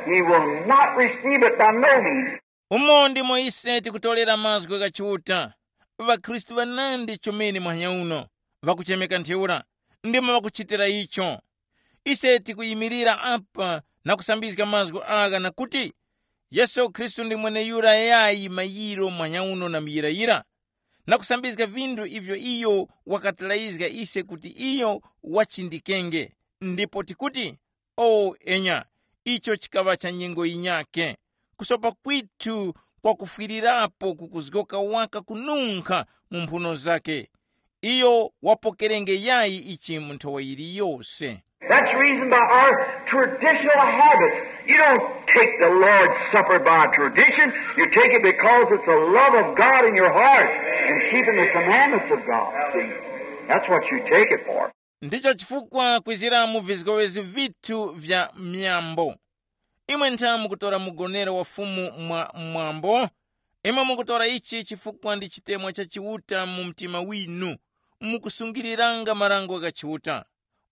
He will not receive it by no means. Umo ndimo ise tikutorera mazgu gha Chiuta. ВaKhristu ŵanandi chomene muhanya uno, ŵakuchemeka ntheura, ndimo ŵakuchitira icho. Ise tikuyimirira apa na kusambizga mazgu agha na kuti, Yesu Khristu ndi mweneyura yayi mayiro manyauno na muyirayira, na kusambizga vinthu ivyo iyo wakatilayizga ise kuti iyo wachindikenge, ndipo tikuti, o enya, icho chikaŵa cha nyengo yinyakhe. Kusopa kwithu kwakufwirirapo kukuzgoka waka kununkha mu mphuno zakhe. Iyo wapokerenge yayi ichi mu nthowa yiliyose. That's the reason by our traditional habits. You don't take the Lord's Supper by tradition. You take it because it's the love of God in your heart and keeping the commandments of God. See, that's what you take it for. Ndicho chifukwa kwizira mu vizgowezi vithu vya myambo. Imwe ntha mukutora mugonero wa Fumu mwa mwambo? Imwe mukutora ichi chifukwa ndi chitemwa cha Chiuta mu mtima winu, mukusungiriranga marango gha Chiuta.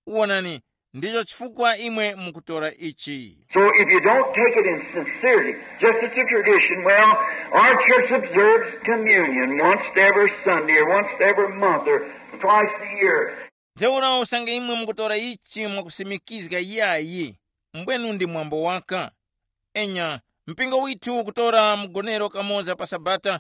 Wonani, ndicho chifukwa imwe mukutora ichi. So if you don't take it in sincerity, just as a tradition, well, our church observes communion once every Sunday or once every month or twice a year. Ntheura usange imwe mukutora ichi mwakusimikizga yayi, mbwenu ndi mwambo waka. Enya, mpingo withu ukutora mgonero kamoza pa Sabata,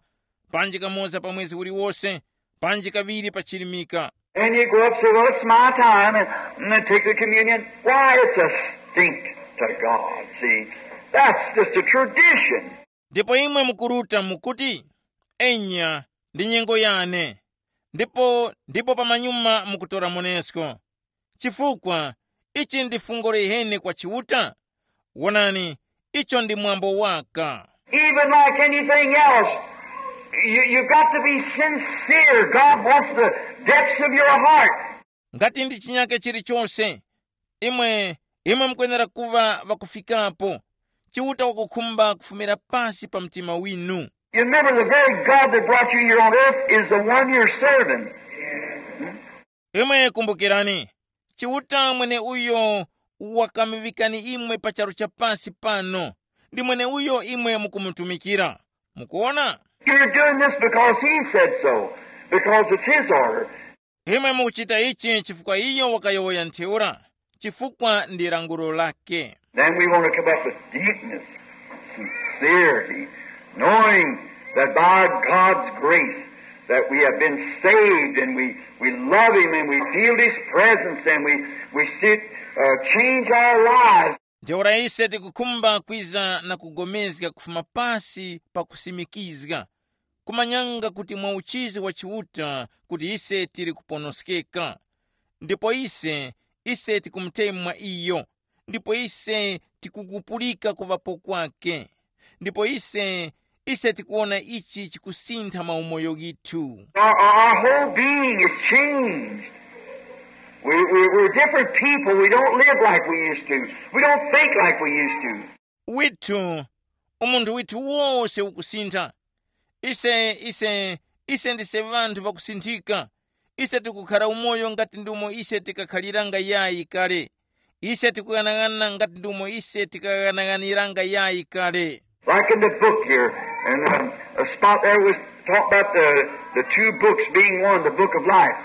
panji kamoza pa mwezi uliwose, panji kaŵiri pa chirimika. And you go up and say, well, it's my time, and, and then take the communion. Why, it's a stink to God, see. That's just a tradition. Ndipo imwe mukuruta mukuti, enya, ndi nyengo yane. Ndipo ndipo pamanyuma mukutora monesko. Chifukwa ichi ndi fungo liheni kwa Chiuta. Wonani, icho ndi mwambo waka. Even like anything else, you, you got to be sincere. God wants the depths of your heart. Ngati ndi chinyake chilichose, imwe imwe mukwenera kuva ŵakufikapo. Chiuta wakukhumba kufumira pasi pa mtima winu. You remember, the very God that brought you here on earth is the one you're serving. Imwe kumbukirani, Chiuta mwene uyo wakamuŵikani imwe pa charu cha pasi pano, ndi mwene uyo imwe mukumutumikira. Mukuona? You're doing this because he said so, because it's his order. Imwe mukuchita ichi chifukwa iyo wakayowoya ntheura, chifukwa ndi lankhulo lake. Then we want to come up with deepness, sincerity, knowing that by God's grace that we have been saved and we, we love him and we feel his presence and we, we see it, uh, change our lives. Ntheura ise tikukhumba kwiza na kugomezga kufuma pasi pa kusimikizga, kumanyanga kuti mwa uchizi wa Chiuta kuti ise tili kuponoskeka. Ndipo ise, ise tikumutemwa iyo, ndipo ise tikukupulika kuŵapo kwake. Ndipo ise, ise tikuwona ichi chikusintha maumoyo ghithu. Our, our, our whole being is changed. We, we, we're different people. We don't live like we used to. We don't think like we used to. Withu, umunthu withu wose ukusintha. Ise ise ise ndise ŵanthu ŵakusinthika. Ise tikukhara umoyo ngati ndi umo ise tikakhaliranga yayi kale. Ise tikughanaghananga ngati ndi umo ise tikaghanaghaniranga yayi kale. Like in the book here, and um, a spot there was talked about the, the two books being one, the book of life.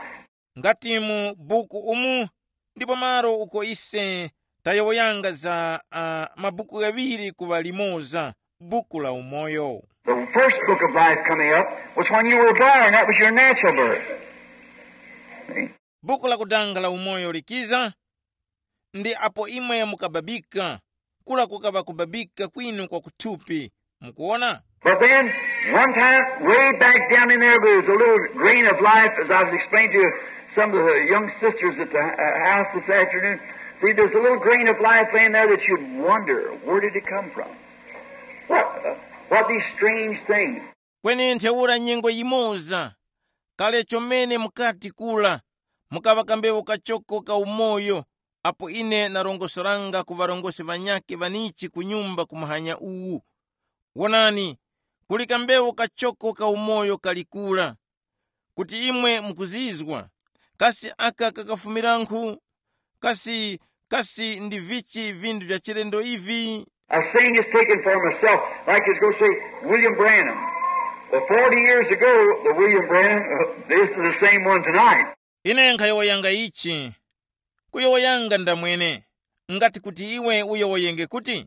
Ngati mu buku umu, ndipo malo uko ise tayowoyanga za uh, mabuku ghaŵiri kuŵa limoza, buku la umoyo. The first book of life coming up was when you were born. That was your natural birth. See? Buku lakutanga la umoyo likiza, ndi apo imwe mukababika, kula kukaŵa kubabika kwinu kwa kuthupi. Mukuona? But then, one time, way back down in there, there was a little grain of life, as I was explaining to some of the young sisters at the uh, house this afternoon. See, there's a little grain of life laying there that you'd wonder, where did it come from? What, uh, what these strange things? Kweni ntheura nyengo yimoza, kale chomene mukati kula, mukaŵa kambewu kachoko ka umoyo, apo ine narongosoranga ku ŵarongozgi ŵanyakhe ŵanichi ku nyumba ku muhanya uwu. Wonani, kuli kambewu kachoko ka umoyo kali kura. Kuti imwe mukuzizwa, kasi aka kakafumirankhu? Kasi, kasi ndi vichi vinthu vya chilendo ivi? A saying is taken for myself, like it's going to say, William Branham. Well, forty years ago, the William Branham, this is the same one tonight. Ine nkhayowoyanga ichi, kuyowoyanga ndamwene, ngati kuti iwe uyowoyenge kuti,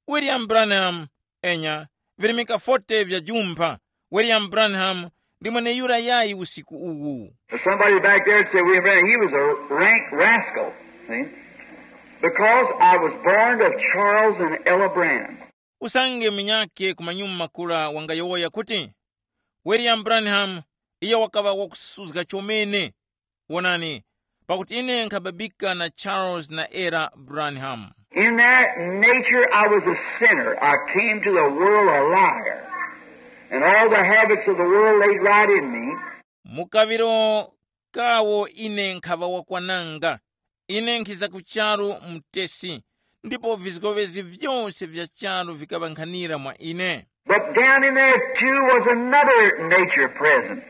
William Branham, Enya, virimika forty vya jumpha, William Branham ndi mweneyura yayi usiku uwu. Somebody back there said, "William Branham, he was a rank rascal." See? Because I was born of Charles and Ella Branham. Usange munyakhe ku manyuma kura wangayowoya kuti, William Branham, iyo wakaŵa wakusuzga chomene. Wonani, pakuti ine nkhababika na Charles na Ella Branham. In that nature, I was a sinner. I came to the world a liar. And all the habits of the world laid right in me. Mu kaŵiro kawo ine nkhaŵa wakwananga. Ine nkhiza ku charu mutesi, ndipo vizgoŵezi vyose vya charu vikaŵankhanira mwa ine. But down in there too was another nature present.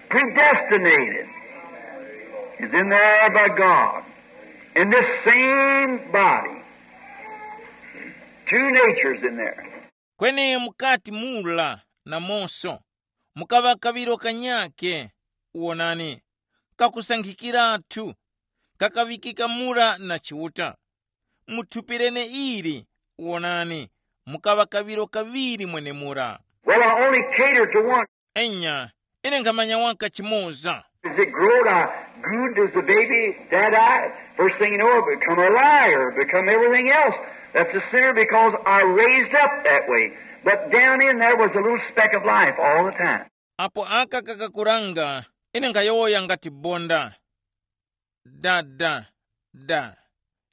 Predestinated is in there by God. In this same body, two natures in there. Kweni mukati mula namonso mukaŵa kaŵiro kanyakhe, wonani, kakusankhikiratu, kakaŵikika mura na Chiuta. Mu thupi lene ili, wonani, mukaŵa kaŵiro kaŵiri mwenemura. Well, I only cater to one. Enya, ine nkhamanya waka chimoza. As it growed, I grew as the baby, dad I. First thing you know, I become a liar, become everything else. That's a sinner because I raised up that way. But down in there was a little speck of life all the time. Apo aka kakakuranga, ine nkhayowoya ngati bonda, da da da.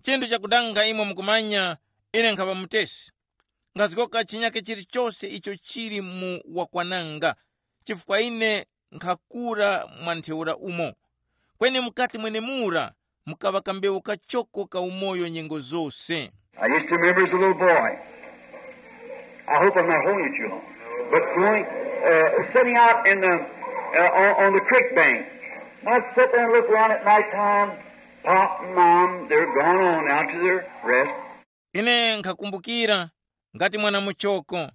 Chinthu chakudanga imwe mukumanya, ine nkhaŵa mutesi. Nkhazgoka chinyake chilichose icho chili mu wakwananga, chifukwa ine nkhakura mwa ntheura umo. Kweni mukati mwenemura mukaŵa kambewu kachoko ka umoyo nyengo zose. I used to remember as a little boy. I hope I'm not holding it too long. But going, uh, sitting out in the, uh, on, on the creek bank, I'd sit there and look around at night time. Pop and Mom, they're gone on out to their rest. Ine nkhakumbukira ngati mwana muchoko.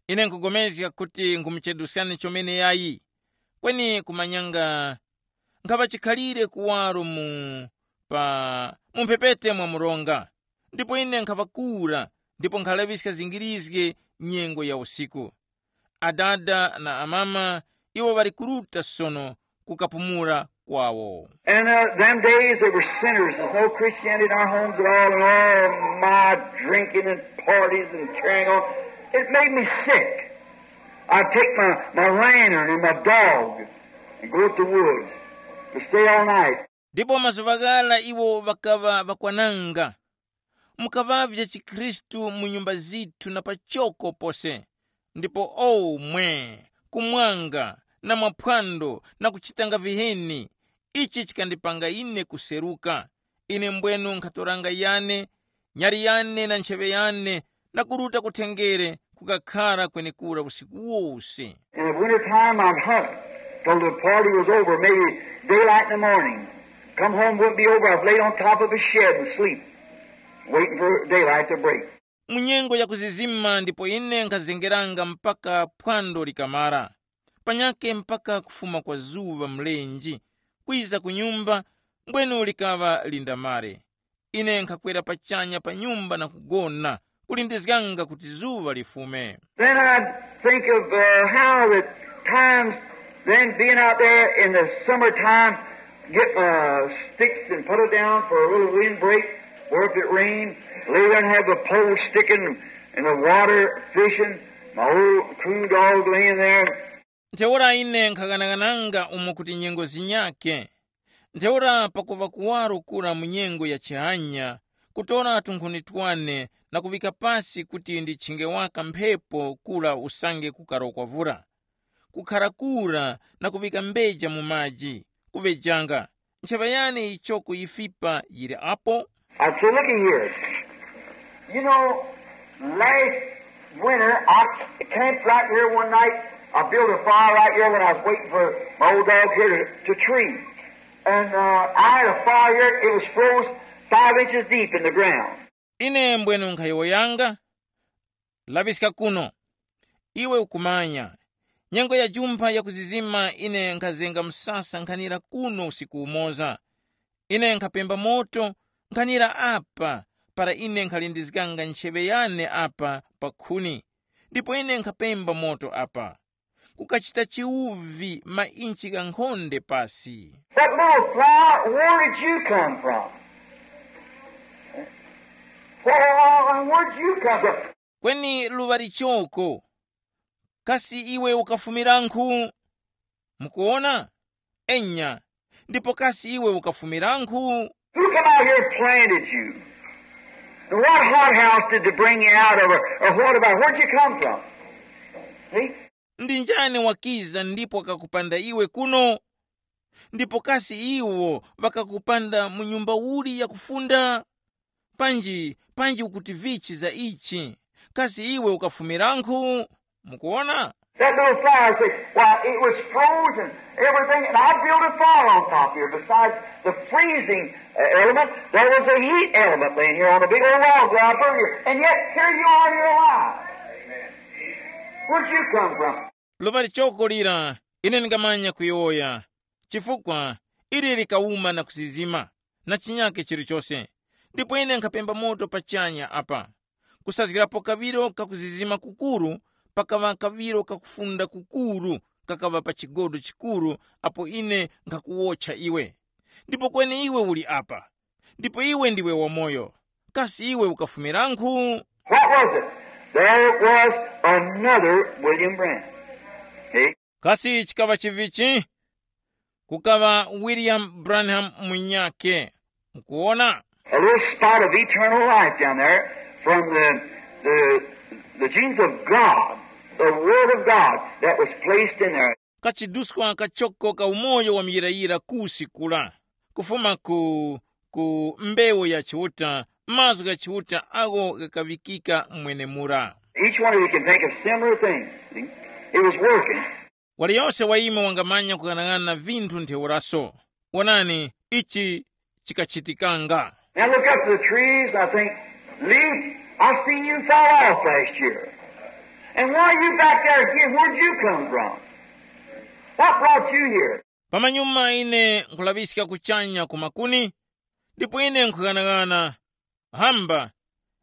Ine nkugomezga kuti nkhumucheduskani chomene yayi. Kweni kumanyanga nkhaŵa chikhalire kuwaro mu pa mu mphepete mwa mronga. Ndipo ine nkhaŵakura ndipo nkhalaŵiska zingirizge nyengo ya usiku. Adada na amama iwo ŵali kuruta sono kukapumula kwawo. And uh, them days they were sinners. There's no Christianity in our homes at all, and all my drinking and parties and carrying on. It made me sick. I'd take my, my lantern and my dog and go to the woods to stay all night. Ndipo mazuŵa ghara iwo ŵakaŵa ŵakwananga. Mukaŵavye chikhristu mu nyumba zithu na pachoko pose. Ndipo omwe kumwanga na mwaphwando na kuchitanga viheni, ichi chikandipanga ine kuseruka. Ine mbwenu nkhatoranga yane, nyali yane na ntcheŵe yane, na kuruta kutengere kukakhara kwenekura usiku wose. In the winter time, I'd hunt till the party was over, maybe daylight in the morning. Come home, wouldn't be over. I'd laid on top of a shed and sleep, waiting for daylight to break. Mu nyengo ya kuzizima ndipo ine nkhazengeranga mpaka phwando likamara, panyake mpaka kufuma kwa zuŵa mlenji, kwiza ku nyumba, mbwenu likaŵa lindamare. Ine nkhakwera pachanya pa nyumba na kugona, kulindizganga kuti zuŵa lifume. Then I'd think of uh, how that times then being out there in the summertime, get my sticks and put it down for a little wind break, or if it rained, lay there and have the pole sticking in the water, fishing, my old coon dog laying there. Ntheura ine nkhaghanaghananga umo kuti nyengo zinyake. Ntheura pakuŵa kuwaro kura mu nyengo ya chihanya, kutora tunkhuni twane na kuŵika pasi kuti ndichinge waka mphepo kura usange kukarokwa vura, kukhara kura na kuŵika mbeja mu maji, kuŵejanga. Ncheŵa yane yichoko yifipa yili apo. I said, "Looky here. You know, last winter I camped right here one night. I built a fire right here when I was waiting for my old dog here to, to tree. And uh, I had a fire here. It was froze five inches deep in the ground." Ine mbwenu nkhayowoyanga, laŵiska kuno. Iwe ukumanya, nyengo ya jumpha yakuzizima ine nkhazenga msasa nkhanira kuno usiku umoza. Ine nkhapemba moto nkhanira apa para ine nkhalindizganga ncheŵe yane apa pa khuni, ndipo ine nkhapemba moto apa, kukachita chiwuvi mainchi ghankhonde pasi. That little flower, where did you come from? Where, where, where'd you come from? Kweni luŵa lichoko, kasi iwe ukafumirankhu? Mukuona? Enya, ndipo kasi iwe ukafumirankhu? Who come out here and planted you? And what hothouse did they bring you out of? Or, or what about, where'd you come from? See? Ndi njani wakiza ndipo wakakupanda iwe kuno? Ndipo kasi iwo ŵakakupanda mu nyumba uli yakufunda? Panji, panji ukuti vichi za ichi? Kasi iwe ukafumirankhu? Mukuona? That little flower said, why, it was frozen, everything, and I built a fire on top here. Besides the freezing uh, element, there was a heat element laying here on a big old log there up here. And yet, here you are, you're alive. Where'd you come from? Luŵa lichoko lira, ine ndingamanya kuyowoya, chifukwa ili likawuma na kuzizima, na chinyake chilichose. Ndipo ine nkhapemba moto pachanya apa. Kusazgirapo kaŵiro kakuzizima kukuru, pakaŵa kaŵiro kakufunda kukuru kakaŵa pa chigodo chikuru, apo ine nkhakuwotcha iwe. Ndipo kweni iwe uli apa, ndipo iwe ndiwe wamoyo. Kasi iwe ukafumirankhu? What was it? There was another William Branham. See? Kasi chikaŵa chivichi? Kukaŵa William Branham munyake. Mukuona? A little spot of eternal life down there from the, the, the genius of God, the Word of God that was placed in there. Kachiduskwa kachoko ka umoyo wa muyirayira kusi kula, kufuma ku, ku mbewu ya Chiuta, mazgu gha Chiuta agho ghakaŵikika mwenemura. Each one of you can think of similar things. See? It was working. Waliyose wa imwe wangamanya kughanag'ana vinthu ntheuraso. Wonani, ichi chikachitikanga. Now look up to the trees, and I think, Lee, I seen you fall off last year. And why are you back there again? Where'd you come from? What brought you here? Pamanyuma ine nkhulaŵiska kuchanya ku makuni, ndipo ine nkhughanag'ana, hamba,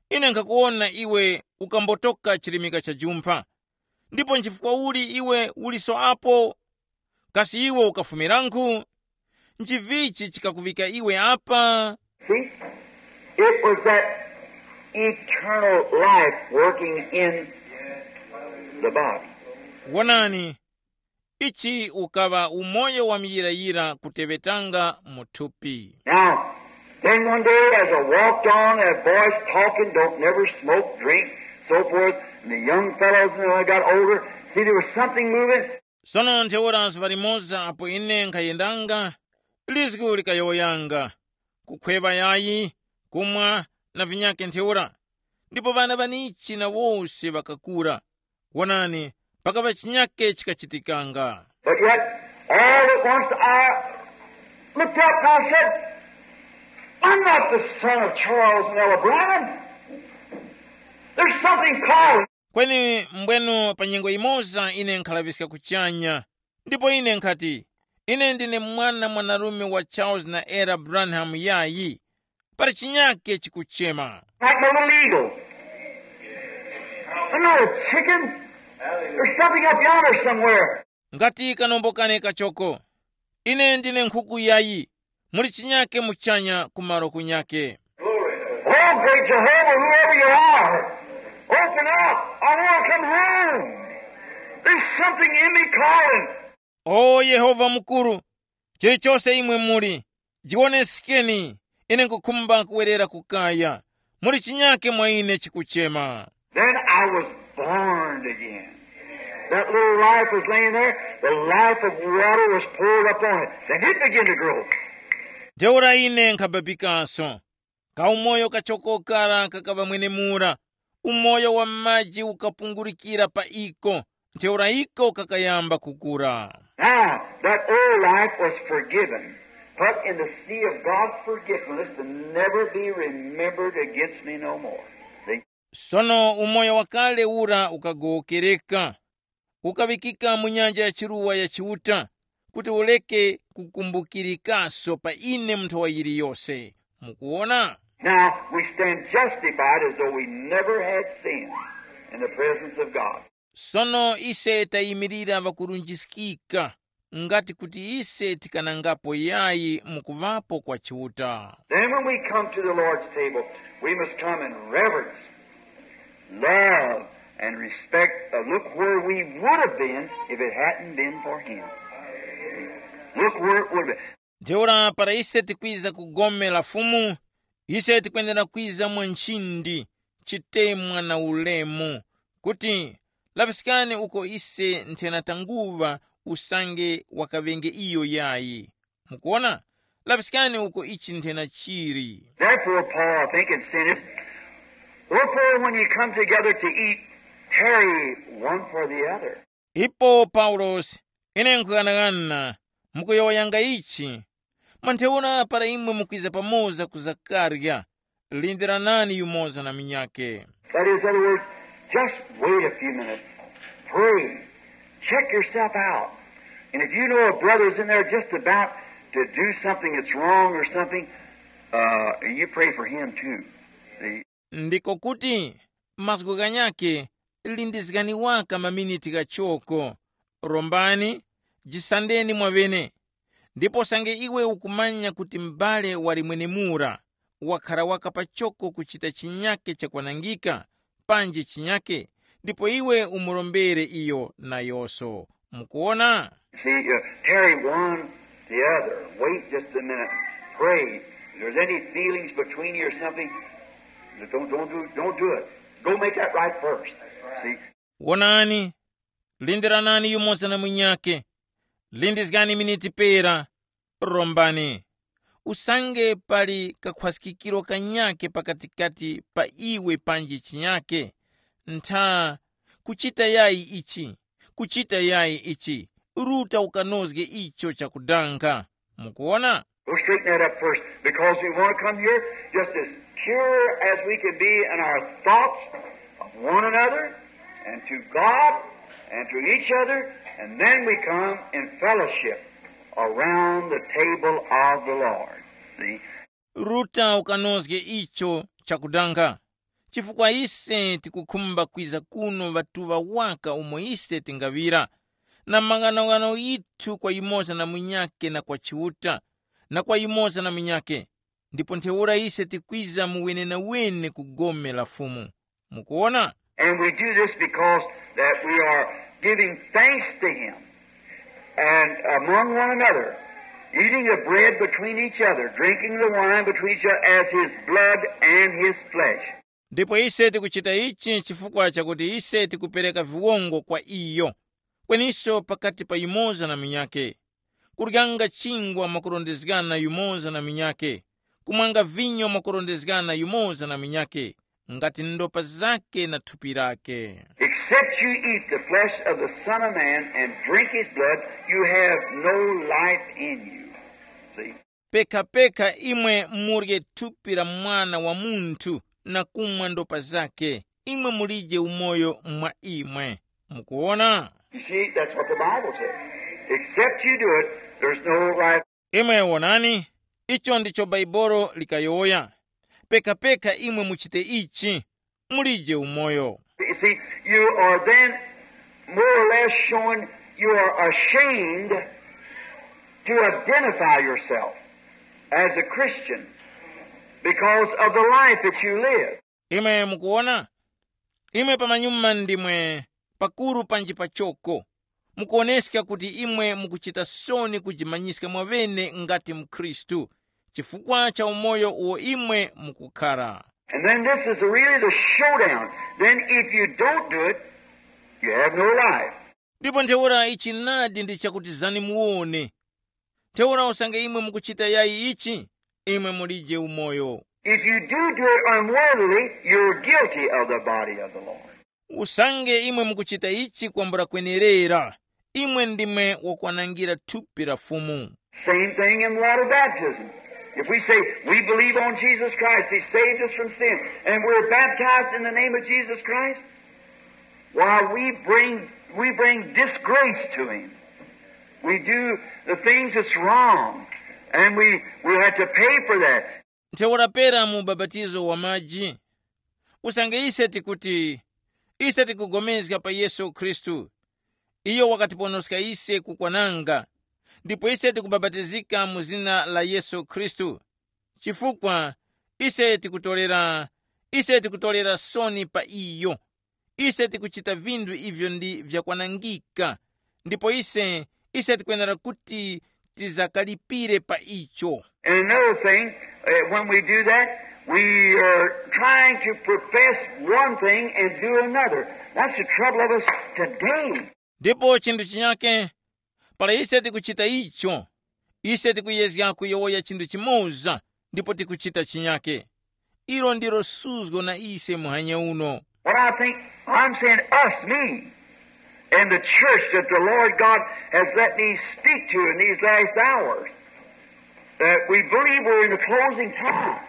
ine nkhakuwona iwe ukambotoka chirimika cha jumpha. Ndipo nchifukwa uli iwe uliso apo? Kasi iwe ukafumirankhu? Nchivichi chikakuŵika iwe apa? See, it was that eternal life working in the body. Wonani, ichi ukaŵa umoyo wa muyirayira kuteŵetanga mu thupi. Now, then one day as I walked on, that voice talking, don't never smoke, drink, so forth, and the young fellows, you know, I got older, see, there was something moving. Sono ntheura zuŵa limoza apo ine nkhayendanga, lizgu likayowoyanga, kukhweŵa yayi, kumwa, na vinyakhe ntheura. Ndipo ŵana ŵanichi na wose ŵakakura. Wonani, pakaŵa chinyakhe chikachitikanga. But yet, all at once I looked up and I said, I'm not the son of Charles and Ella Brown. There's something calling. Kweni mbwenu pa nyengo yimoza ine nkhalaŵiska kuchanya, ndipo ine nkhati, ine ndine mwana mwanarume wa Charles na Ella Branham yayi. Pali chinyakhe chikuchema. Like my little eagle. I'm not a chicken. There's something up yonder somewhere. Ngati kanombo kane kachoko. Ine ndine nkhuku yayi. Muli chinyakhe muchanya kumaro kunyakhe. Oh, great Jehovah, whoever you are, open up. I want to come home. There's something in me calling. O Yehova mukuru, chilichose imwe muli, jiwonesekeni, ine nkukhumba kuwerera ku kaya. Muli chinyakhe mwa ine chikuchema. Then I was born again. That little life was laying there, the life of water was poured upon it. Then it began to grow. Ntheura ine nkhabapikanso. Kaumoyo kachoko kara kakaŵa mwenemura, umoyo wa maji ukapungulikira pa iko, ntheura iko kakayamba kukura. Now, that old life was forgiven, put in the sea of God's forgetfulness to never be remembered against me no more. See? Sono umoyo wakale ura ukagowokereka, ukaŵikika mu nyanja ya chiruwa ya Chiuta, kuti ureke kukumbukirikaso pa ine mu nthowa yiliyose. Mukuwona? Now we stand justified as though we never had sinned in the presence of God. Sono ise tayimirira ŵakurunjiskika, ngati kuti ise tikanangapo yayi mu kuŵapo kwa Chiuta. Then when we come to the Lord's table, we must come in reverence, love, and respect. Uh, look where we would have been if it hadn't been for Him. Look where it would have been. Ntheura para ise tikwiza ku gome la Fumu, ise tikwenera kwiza mwa nchindi, chitemwa na ulemu, kuti laŵiskani uko ise nthena tanguŵa usange wakaŵenge iyo yayi. Mukuona? Laŵiskani uko ichi nthena chili. Therefore, Paul, I think, in sentence, wherefore, when ye come together to eat, tarry one for the other. Ipo Paulosi, ine nkhughanaghana, mukuyowoyanga ichi, mwa ntheura para imwe mukwiza pamoza ku zakarya, lindiranani yumoza na munyakhe. That is, in other words, just wait a few minutes. Pray. Check yourself out. And if you know a brother's in there just about to do something that's wrong or something, uh, you pray for him too. See? Ndiko kuti mazgu ghanyakhe, lindizgani waka maminiti ghachoko, rombani, jisandeni mwaŵene. Ndipo sange iwe ukumanya kuti m'bale wali mwenemura wakhara waka pachoko kuchita chinyakhe chakwanangika, panji chinyakhe, ndipo iwe umurombere iyo nayoso. Mukuona? See, uh, tarry one the other. Wait just a minute. Pray. If there's any feelings between you or something, don't, don't, do, don't do it. Go make that right first. See? Wonani, lindiranani yumoza na munyakhe, lindizgani miniti pera, rombani. Usange pali kakhwaskikiro kanyakhe pakatikati pa iwe panji chinyakhe, ntha, kuchita yayi ichi, kuchita yayi ichi, ruta ukanozge icho chakudanga. Mukuona? We'll straighten that up first because we want to come here just as pure as we can be in our thoughts of one another and to God and to each other, and then we come in fellowship around the table of the Lord. See? Ruta ukanozge icho chakudanga, chifukwa ise tikukhumba kwiza kuno ŵatuŵa waka umo ise tingaŵira, na maghanoghano yithu kwa yumoza na munyakhe na kwa Chiuta, na kwa yumoza na munyakhe, ndipo ntheura ise tikwiza mu wenenawene ku gome la Fumu. Mukuona? And we do this because that we are giving thanks to Him and among one another, eating the bread between each other, drinking the wine between each other as His blood and His flesh. Ndipo ise tikuchita ichi chifukwa chakuti ise tikupereka viwongo kwa iyo, kweninso pakati pa yumoza na munyakhe, kuryanga chingwa mwakurondezgana yumoza na munyakhe, kumwanga vinyo mwakurondezgana yumoza na munyakhe, ngati ndopa zake na thupi lake. Except you eat the flesh of the Son of Man and drink His blood, you have no life in you. See? Pekha-pekha imwe murye thupi la Mwana wa Munthu na kumwa ndopa zake, imwe mulije umoyo mwa imwe. Mukuona? You see, that's what the Bible says. Except you do it, there's no life. Imwe wonani, icho ndicho Bhaibolo likayowoya. Pekha-pekha imwe muchite ichi, mulije umoyo. You see, you are then more or less showing you are ashamed to identify yourself as a Christian because of the life that you live. Imwe mukuona? Imwe pamanyuma ndimwe pakuru panji pachoko. Mukuoneska kuti imwe mukuchita soni kujimanyiska mwaŵene ngati mkhristu, chifukwa cha umoyo uwo imwe mukukhara. And then this is really the showdown. Then if you don't do it, you have no life. Ndipo ntheura ichi nadi ndi chakuti zani muwone. Ntheura usange imwe mukuchita yayi ichi, imwe mulije umoyo. If you do do it unworthily, you're guilty of the body of the Lord. Usange imwe mukuchita ichi kwambula kwenerera, imwe ndimwe wakwanangira thupi la Fumu. Same thing in water baptism. If we say, "We believe on Jesus Christ, He saved us from sin, and we're baptized in the name of Jesus Christ," why, we bring, we bring disgrace to Him. We do the things that's wrong, and we, we have to pay for that. Ntheura pera mu ubapatizo wa maji, usange ise tikuti, ise tikugomezga pa Yesu Khristu, iyo wakatiponoska ise kukwananga, ndipo ise tikubapatizika mu zina la Yesu Khristu, chifukwa ise tikutorera, ise tikutorera soni pa iyo. Ise tikuchita vinthu ivyo ndi vyakwanangika, ndipo ise, ise tikwenera kuti tizakalipire pa icho. And another thing, uh, when we do that, we are trying to profess one thing and do another. That's the trouble of us today. Ndipo chinthu chinyake, para ise tikuchita icho, ise tikuyezga kuyowoya chinthu chimoza ndipo tikuchita chinyake. Ilo ndilo suzgo na ise muhanya uno. What I think, I'm saying us, me, and the church that the Lord God has let me speak to in these last hours, that we believe we're in the closing time.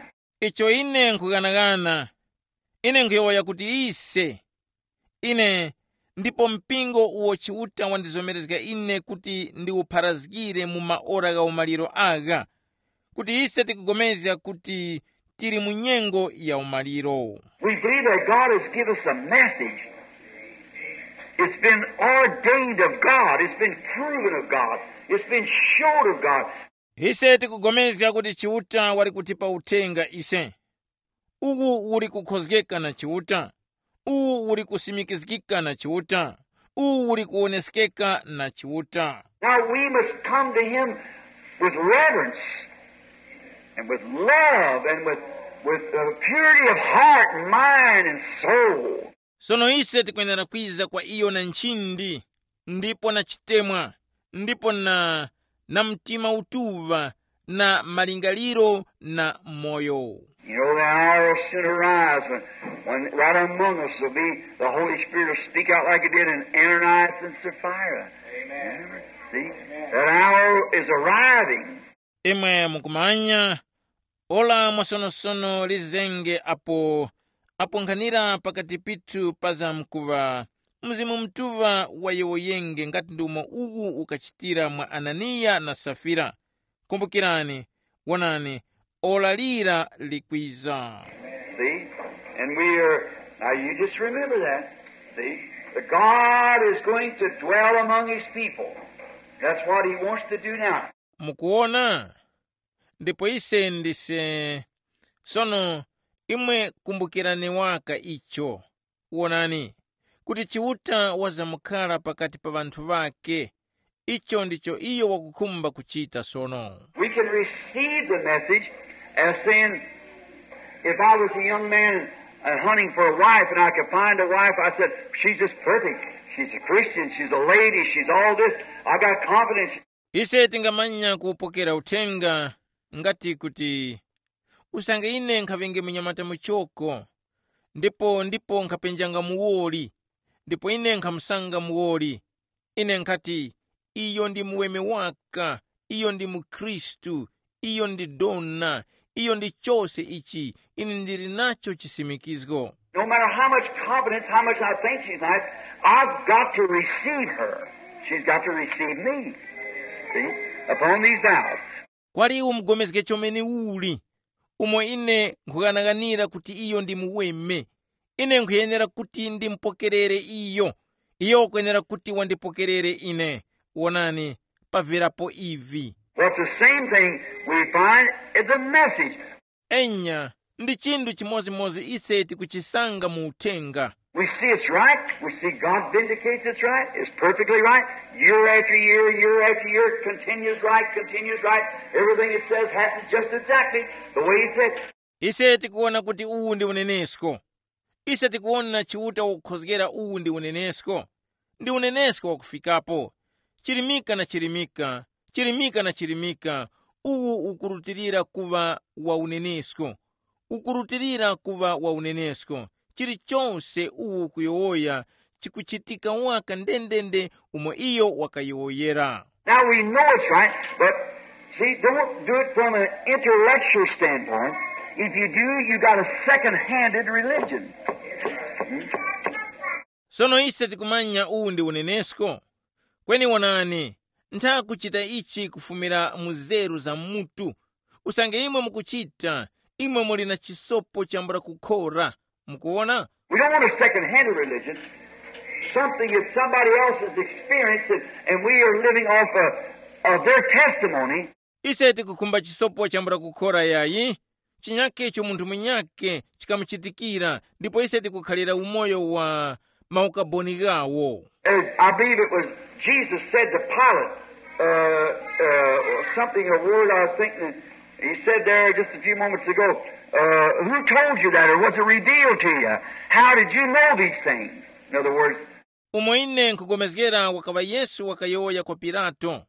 Icho ine nkughanagana, ine nkhuyowoya kuti ise, ine, ndipo mpingo uwo Chiuta wandizomerezga ine kuti ndiwupharazgire mu maora gha umaliro agha, kuti ise tikugomezga kuti tili mu nyengo ya umaliro. We believe that God has given us a message. It's been ordained of God. It's been proven of God. It's been showed of God. Ise tikugomezga kuti Chiuta wali kutipa uthenga ise. Uwu uli kukhozgeka na Chiuta. Uwu uli kusimikizgika na Chiuta. Uwu uli kuwoneskeka na Chiuta. Now we must come to him with reverence and with love and with, with uh, purity of heart and mind and soul. Sono ise tikwenera kwiza kwa iyo na nchindi, ndipo na chitemwa, ndipo na, na mtima utuŵa, na malingaliro na moyo. You know, the hour will soon arise when, when right among us will be the Holy Spirit will speak out like it did in Ananias and Sapphira. Amen. See? That hour is arriving. Imwe mukumanya, ora mwasonosono lizenge apo, apo nkhanira pakati pithu pazamkuŵa Mzimu Mutuŵa wayowoyenge ngati ndi umo uwu ukachitira mwa Ananiya na Safira. Kumbukirani, wonani, ora lira likwiza. See? And we are, now you just remember that. See? That God is going to dwell among his people. That's what he wants to do now. Mukuona? Ndipo ise ndise. Sono, imwe kumbukirani waka icho. Wonani, kuti Chiuta wazamkhala pakati pa ŵanthu ŵake. Icho ndicho iyo wakukhumba kuchita sono. We can receive the message as saying, if I was a young man and hunting for a wife and I could find a wife, I said, she's just perfect. She's a Christian. She's a lady. She's all this. I got confidence. Ise tingamanya kupokera uthenga ngati kuti, usange ine nkhaŵenge munyamata muchoko, ndipo ndipo nkhapenjanga muwoli, ndipo ine nkhamusanga muwoli, ine nkhati, iyo ndi muweme waka, iyo ndi mukhristu, iyo ndi dona, iyo ndi chose ichi, ine ndili nacho chisimikizgo. No matter how much confidence, how much I think she's nice, I've got to receive her. She's got to receive me. See? Upon these vows. Kwali umugomezge chomene uli, umo ine nkhughanaganira kuti iyo ndi muweme, ine nkhuyenera kuti ndimupokerere iyo. Iyo wakwenera kuti wandipokerere ine. Wonani, paverapo ivi. Well, it's the same thing we find in the message. Enya, ndi chinthu chimodzimodzi ise tikuchisanga mu uthenga. We see it's right. We see God vindicates it's right. It's perfectly right. Year after year, year after year, continues right, continues right. Everything it says happens just exactly the way he said. Ise tikuona kuti uwu ndi unenesko. Ise tikuona Chiuta wakukhozgera uwu ndi unenesko. Ndi unenesko wakufikapo. Chirimika na chirimika, chirimika na chirimika, uwu ukurutilira kuŵa wa unenesko. Ukurutilira kuŵa wa unenesko. Chilichose uwu ukuyowoya chikuchitika waka ndendende umo iyo wakayowoyera. Now we know it's right, but see, don't do it from an intellectual standpoint. If you do, you got a second-handed religion. Sono ise tikumanya uwu ndi unenesko. Kweni wonani, ntha kuchita ichi kufumira mu nzeru za mutu. Usange imwe mukuchita, imwe muli na chisopo chambula kukhora. Mukuona? We don't want a second hand religion, something that somebody else has experienced and, and we are living off of, of their testimony. Ise tikukhumba chisopo chambula kukhora yayi, chinyake icho munthu munyake chikamuchitikira, ndipo ise tikukhalira umoyo wa maukaboni ghawo. As I believe it was Jesus said to Pilate, uh, uh, something, a word I was thinking, he said there just a few moments ago, uh, who told you that or was it revealed to you? How did you know these things? In other words, Umo ine nkugomezgera wakaŵa Yesu wakayowoya kwa Pilato,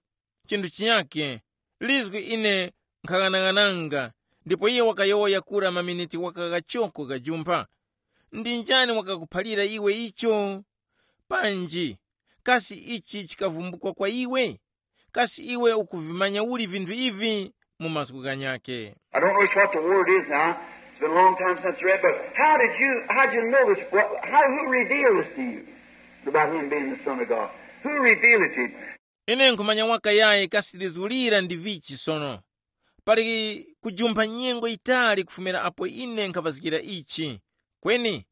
chinthu chinyake, lizgu ine nkhaghanaghananga, ndipo iye wakayowoya kura maminiti wakaghachoko ghajumpha. Ndi njani wakakuphalira iwe icho? Panji, kasi ichi chikavumbukwa kwa iwe? Kasi iwe ukuvimanya uli vinthu ivi? Mu mazgu ghanyakhe. I don't know what the word is now. It's been a long time since I read, but how did you, how'd you know this? What, how, who revealed this to you about him being the Son of God? Who revealed it to you? Ine nkhumanya waka yayi kasi lizulira ndi vichi sono. Pali kujumpha nyengo yitali kufumira apo ine nkhaŵazgira ichi. Kweni,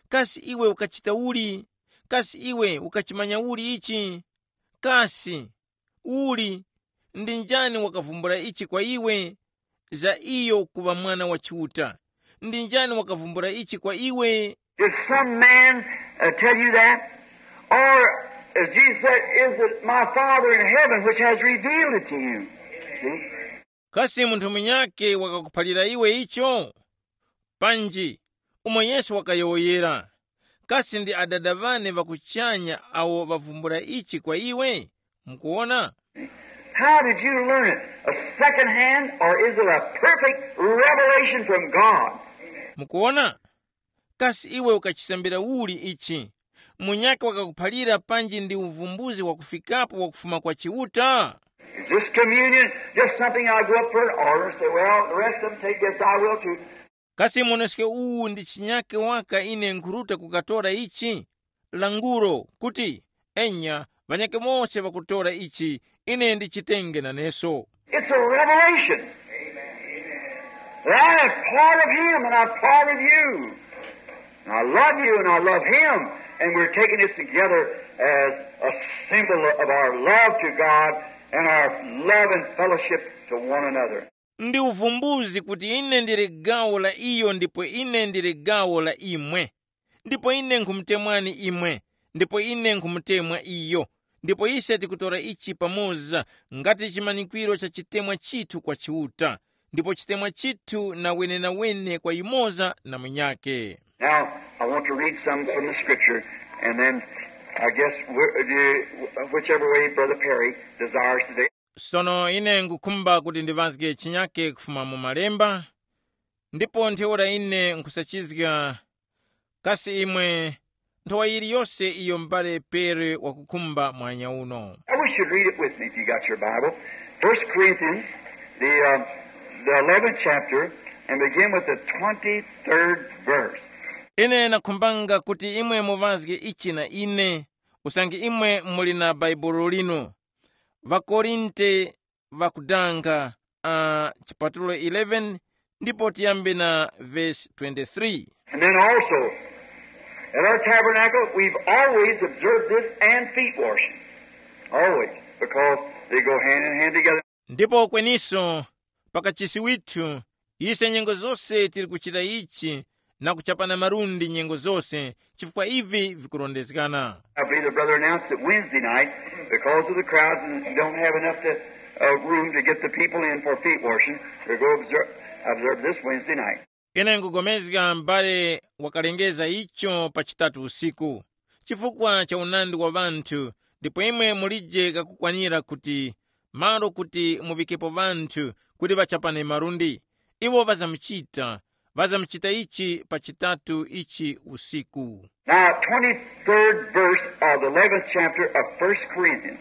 kasi iwe ukachita uli? Kasi iwe ukachimanya uli ichi? Kasi uli ndi njani wakavumbula ichi kwa iwe? Za iyo kuŵa mwana wa Chiuta, ndi njani wakavumbula ichi kwa iwe? Did some man uh, tell you that? Or, as Jesus said, is it my Father in heaven which has revealed it to you? See? Kasi munthu munyake wakakuphalira iwe icho? Panji, umo Yesu wakayowoyera, kasi ndi Adada ŵane ŵa kuchanya awo ŵavumbula ichi kwa iwe? Mukuwona? How did you learn it? A second hand, or is it a perfect revelation from God? Mukuwona? Kasi iwe ukachisambira uli ichi? Munyakhe wakakuphalira panji ndi uvumbuzi wakufikapo wakufuma kwa Chiuta? Is this communion just something I go up for an order and say, well, the rest of them take this, I will too? Kasi moneske uwu ndi chinyakhe waka ine nkhuruta kukatora ichi? Languro kuti, enya, ŵanyakhe mose ŵakutora ichi, ine ndichitenge naneso. It's a revelation. That I am part of Him and I'm part of you. And I love you and I love Him. And we're taking this together as a symbol of our love to God and our love and fellowship to one another. Ndi uvumbuzi kuti ine ndili gawo la iyo ndipo ine ndili gawo la imwe, ndipo ine nkhumutemwani imwe, ndipo ine nkhumutemwa iyo, ndipo ise tikutora ichi pamoza ngati chimanyikwiro cha chitemwa chithu kwa Chiuta, ndipo chitemwa chithu na wenenawene kwa yumoza na munyakhe. Now, I want to read some from the scripture, and then I guess wh- the- whichever way Brother Perry desires today. Sono ine nkukhumba kuti ndiŵazge chinyakhe kufuma mu malemba, ndipo ntheura ine nkusachizga kasi imwe nthowa yiliyose iyo m'bale Pere wakukhumba mwanya uno. I wish you'd read it with me if you got your Bible. First Corinthians, the, uh, the eleventh chapter, and begin with the twenty-third verse. Ine nakhumbanga kuti imwe muŵazge ichi na ine, usange imwe muli na Baibulo linu. Ŵakorinte ŵakudanga, uh, chipatulo eleven, ndipo tiyambe na vesi twenty-three. And then also, at our tabernacle, we've always observed this and feet washing. Always, because they go hand in hand together. Ndipo kweniso, pakachisi withu, ise nyengo zose tili kuchita ichi na kuchapana malundi nyengo zose, chifukwa ivi vikurondezgana. I believe the brother announced that Wednesday night, because of the crowds and you don't have enough to, uh, room to get the people in for feet washing, we'll go observe, observe this Wednesday night. Ine nkugomezga m'bale wakalengeza icho pa chitatu usiku, chifukwa cha unandi wa ŵanthu, ndipo imwe mulije kakukwanira kuti malo kuti muvikepo ŵanthu kuti ŵachapane malundi. Iwo ŵazamuchita, ŵazamuchita ichi pa chitatu ichi usiku. Now, twenty-third verse of the eleventh chapter of First Corinthians.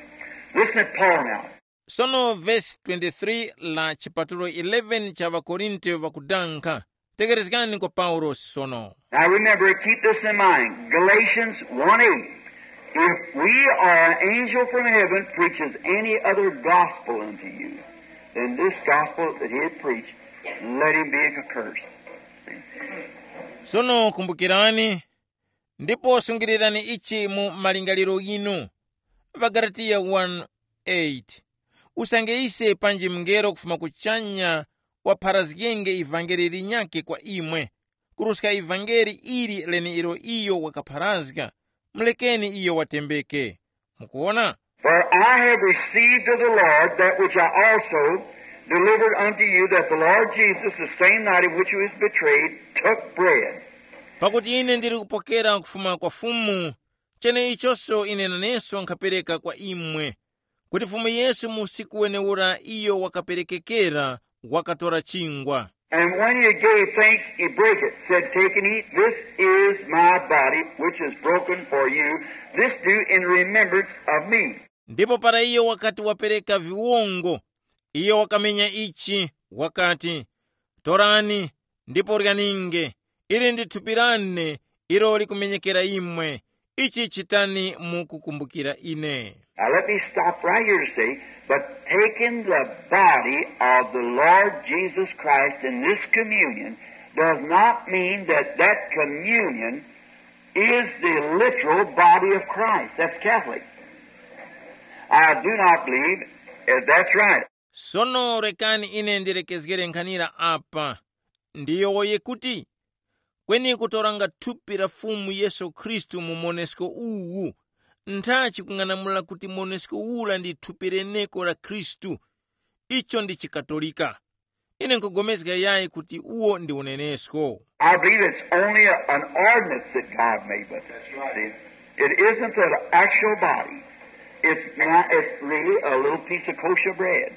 Listen at Paul now. Sono vesi twenty-three la chipatulo eleven cha ŵakorinte ŵakudankha. Tegerezgani kwa Paulosi sono. Now remember, keep this in mind. Galatians one eight. If we or an angel from heaven preaches any other gospel unto you than this gospel that he had preached, Let him be accursed. Sono kumbukirani, ndipo sungirirani ichi mu malingaliro yinu. Ŵagalatiya one eight. Usange ise panji mngelo kufuma kuchanya wapharazgenge ivangeli linyakhe kwa imwe, kuruska ivangeli ili leneilo iyo wakapharazga, mulekeni iyo watembeke. Mukuwona? For I have received of the Lord that which I also delivered unto you, that the Lord Jesus, the same night in which he was betrayed, took bread. Pakuti ine ndili kupokera kufuma kwa Fumu, cheneichonso ine naneso nkhapereka kwa imwe, kuti Fumu Yesu mu usiku wenewura iyo wakaperekekera, wakatora chingwa. And when he had gave thanks, he brake it, said, "Take and eat, this is my body, which is broken for you. This do in remembrance of me." Ndipo para iyo wakati wapereka viwongo, iyo wakamenya ichi, wakati, "Torani, ndipo ryaninge, ili ndi thupi lane, ilo likumenyekera imwe. Ichi chitani mu kukumbukira ine." Now let me stop right here to say, but taking the body of the Lord Jesus Christ in this communion does not mean that that communion is the literal body of Christ. That's Catholic. I do not believe if that's right. Sono rekani ine ndilekezgere nkhanira apa. Ndiyo woye kuti, kweni kutoranga thupi la Fumu Yesu Khristu mu monesko uwu, ntha chikung'anamula kuti monesko ura ndi thupi leneko la Khristu. Icho ndi chikatolika. Ine nkugomezga yayi kuti uwo ndi unenesko. I believe it's only a, an ordinance that God made with it. See? It isn't the actual body. It's not, it's really a little piece of kosher bread.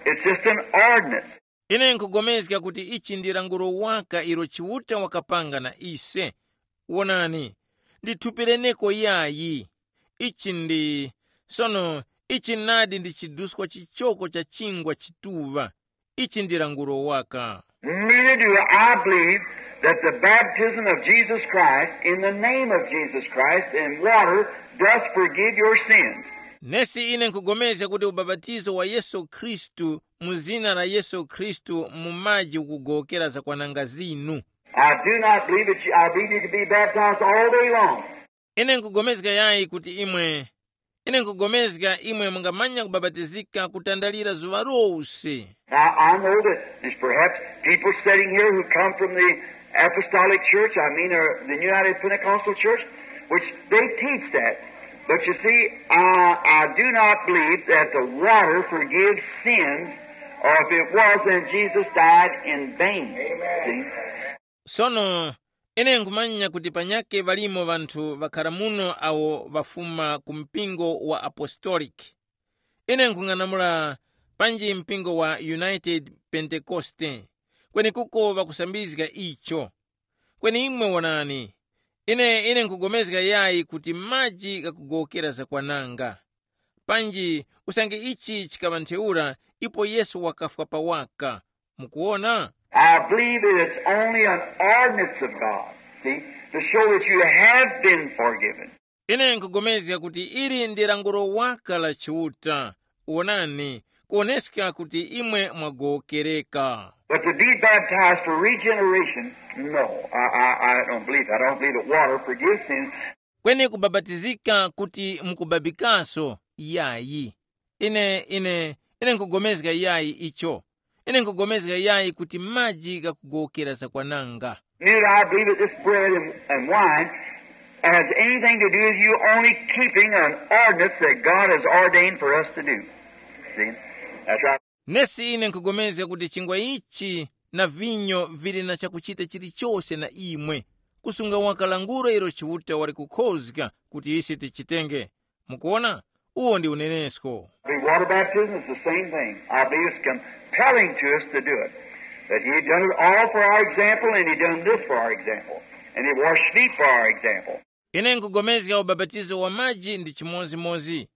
It's just an ordinance. Ine nkugomezga kuti ichi ndi languro waka ilo Chiuta wakapanga na ise. Wonani, ndi thupi leneko yayi. Ichi ndi, sono, ichi nadi ndi chiduskwa chichoko cha chingwa chituŵa. Ichi ndi languro waka. Neither do I believe that the baptism of Jesus Christ in the name of Jesus Christ in water does forgive your sins. Nesi ine nkugomezga kuti ubapatizo wa Yesu Khristu mu zina la Yesu Khristu mu maji ukugowokera zakwananga zinu. I do not believe that you, I believe you can be baptized all day long. Ine nkugomezga yayi kuti imwe, ine nkugomezga imwe mungamanya kubabatizika kutandalira zuŵa lose. Now, I know that there's perhaps people sitting here who come from the Apostolic Church, I mean, or the United Pentecostal Church, which they teach that. But you see, I, I do not believe that the water forgives sins, or if it was, then Jesus died in vain. See? Sono, ine nkhumanya kuti panyake ŵalimo ŵanthu ŵakhara muno awo ŵafuma ku mpingo wa Apostolic. Ine nkhung'anamula panji mpingo wa United Pentekoste, kwenekuko ŵakusambizga icho. Kweni imwe wonani, ine ine nkugomezga yayi kuti maji ghakugowokera zakwananga. Panji usange ichi chikaŵa ntheura, ipo Yesu wakafwa pa waka. Mukuwona? I believe that it's only an ordinance of God, see, to show that you have been forgiven. Ine nkugomezga kuti ili ndi languro waka la Chiuta. Wonani, kuwoneska kuti imwe mwagowokereka. But to be baptized for regeneration, no, I, I, I don't believe that. I don't believe that water forgives sins. Kweni kubabatizika kuti mukubabikaso, yayi. Ine ine ine nkugomezga yayi icho. Ine nkugomezga yayi kuti maji ghakugowokera zakwananga. Neither I believe that this bread and, and wine has anything to do with you only keeping an ordinance that God has ordained for us to do. See? That's right. Nesi ine nkugomezga kuti chingwa ichi na vinyo vili na chakuchita chilichose na imwe, kusunga waka languro ilo Chiuta wali kukhozga kuti ise tichitenge. Mukuwona? Uwo ndi unenesko. The water baptism is the same thing. I believe it's compelling to us to do it. That he done it all for our example, and he done this for our example. And he washed feet for our example. Ine nkugomezga ubapatizo wa maji ndi chimozimozi.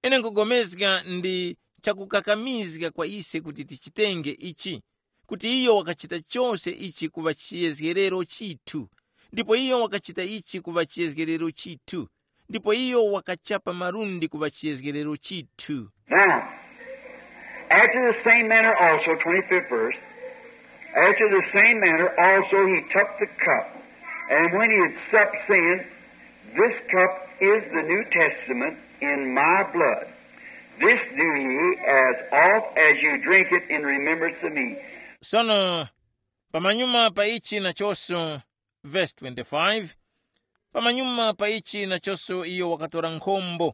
Ine nkugomezga ndi chakukakamizga kwa ise kuti tichitenge ichi, kuti iyo wakachita chose ichi kuŵa chiyezgerero chithu, ndipo iyo wakachita ichi kuŵa chiyezgerero chithu, ndipo iyo wakachapa malundi kuŵa chiyezgerero chithu. Now, after the same manner also, twenty-fifth verse, After the same manner also he took the cup, and when he had supped, saying, "This cup is the New Testament in my blood. This do ye as oft as you drink it in remembrance of me." Sono, pamanyuma pa ichi nachonso, verse twenty-five, pamanyuma pa ichi nachonso iyo wakatora nkhombo,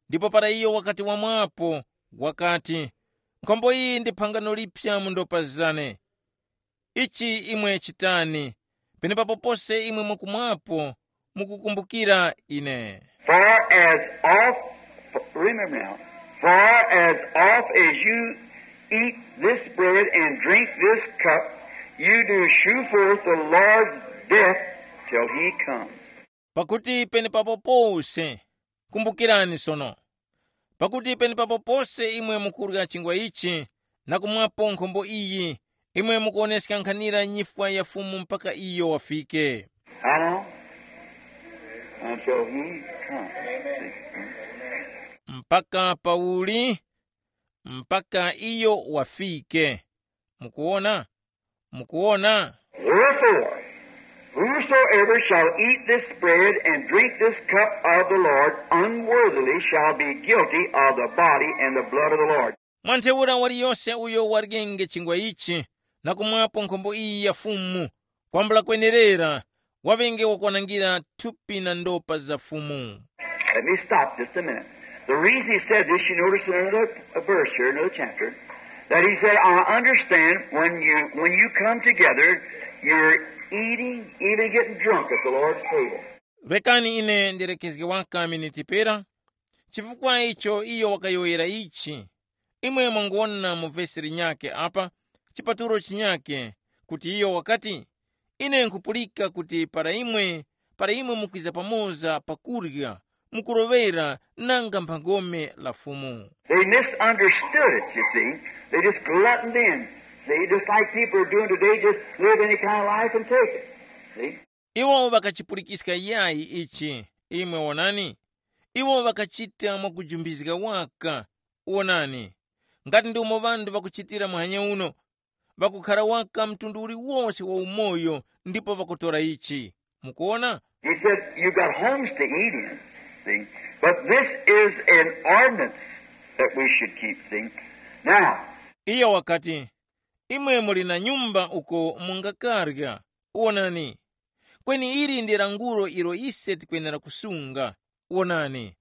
ndipo para iyo wakati wamwapo, wakati, "Nkhombo iyi ndi phangano lipya mu ndopa zane. Ichi imwe chitani, penepapo pose imwe mwakumwapo, mukukumbukira ine." For as oft, remember now, for as oft as you eat this bread and drink this cup, you do shew forth the Lord's death till he comes. Pakuti penepapo pose, kumbukirani sono, pakuti penepapo pose imwe mukurya chingwa ichi na kumwapo nkhombo iyi, imwe mukuwoneska nkhanira nyifwa ya Fumu mpaka iyo wafike. How long? Until he comes. Mpaka pauli? Mpaka iyo wafike. Mukuona? Mukuona? Wherefore, whosoever shall eat this bread and drink this cup of the Lord unworthily shall be guilty of the body and the blood of the Lord. Mwa ntheura waliyose uyo waryenge chingwa ichi na kumwapo nkhombo iyi ya Fumu, kwambula kwenerera, waŵenge wakwanangira thupi na ndopa za Fumu. Let me stop just a minute. The reason he said this, you notice in another verse here, another chapter, that he said, "I understand when you, when you come together, you're eating, even getting drunk at the Lord's table." Rekani ine ndirekezge waka miniti pera, chifukwa icho iyo wakayowoyera ichi. Imwe mwangwona mu vesi linyakhe apa, chipatulo chinyakhe, kuti iyo wakati, "Ine nkhupulika kuti para imwe, para imwe mukwiza pamoza pakurya, mukuloŵera nanga mphangome la Fumu." They misunderstood it, you see. They just gluttoned in. See, just like people are doing today, just live any kind of life and take it. See? Iwo ŵakachipulikiska yayi ichi, imwe wonani. Iwo ŵakachita mwakujumbizga waka. Wonani, ngati ndi umo ŵanthu ŵakuchitira muhanya uno, ŵakukhara waka mtundu uliwose wa umoyo ndipo ŵakutora ichi. Mukuona? He said, "You got homes to eat in, see? But this is an ordinance that we should keep, see? Now," Iyo wakati, "Imwe muli na nyumba uko mungakarya. Wonani, kweni ili ndi langulo ilo ise tikwenera kusunga. Wonani,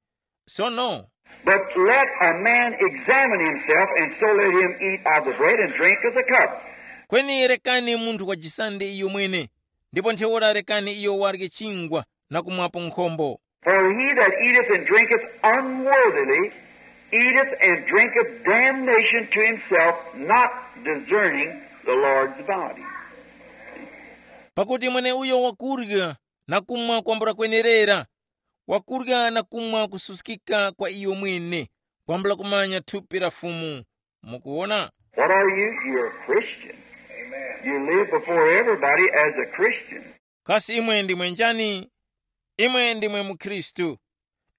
sono." But let a man examine himself, and so let him eat of the bread and drink of the cup. Kweni rekani munthu wajisande iyo mwene, ndipo ntheura rekani iyo warye chingwa na kumwapo nkhombo. For he that eateth and drinketh unworthily eateth and drinketh damnation to himself, not discerning the Lord's body. Pakuti mweneuyo wakurya na kumwa kwambula kwenerera, wakurya na kumwa kususkika kwa iyo mwene, kwambula kumanya thupi la Fumu. Mukuwona? What are you? You're a Christian. You live before everybody as a Christian. Kasi imwe ndimwe njani? Imwe ndimwe mukhristu.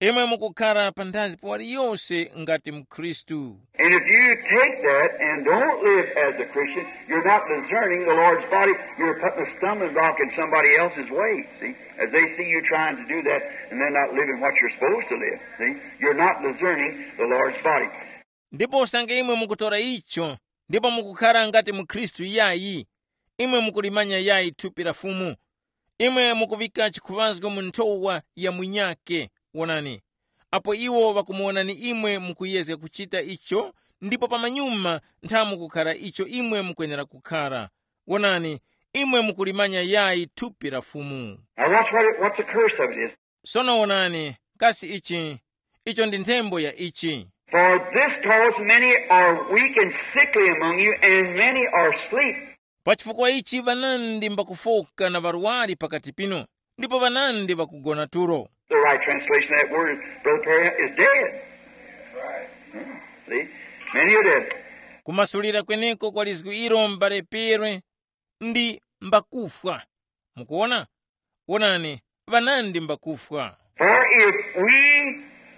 Imwe mukukhara panthazi pa waliyose ngati mukhristu. And if you take that and don't live as a Christian, you're not discerning the Lord's body. You're putting a stumbling block in somebody else's way, see? As they see you trying to do that and they're not living what you're supposed to live, see? You're not discerning the Lord's body. Ndipo usange imwe mukutora icho ndipo mukukhara ngati mukhristu yayi, imwe mukulimanya yayi thupi la Fumu. Imwe mukuŵika chikhuŵazgo mu nthowa ya munyakhe. Wonani, apo iwo ŵakumuwonani imwe mukuyezga kuchita icho, ndipo pamanyuma ntha mukukhara icho imwe mukwenera kukhara. Wonani, imwe mukulimanya yayi thupi la Fumu. Now watch what it, what's the curse of it is. Sono wonani, kasi ichi, icho ndi nthembo ya ichi. For this cause many are weak and sickly among you, and many are asleep. Pa chifukwa ichi ŵanandi mbakufoka na ŵarwari pakati pinu, ndipo ŵanandi ŵakugona tulo. The right translation of that word, Brother Perry, is dead. Hmm. See? Many are dead. Kumasulira kweneko kwa lizgu ilo, m'bale Perry, ndi mbakufwa. Mukuona? Wonani, ŵanandi mbakufwa. For if we,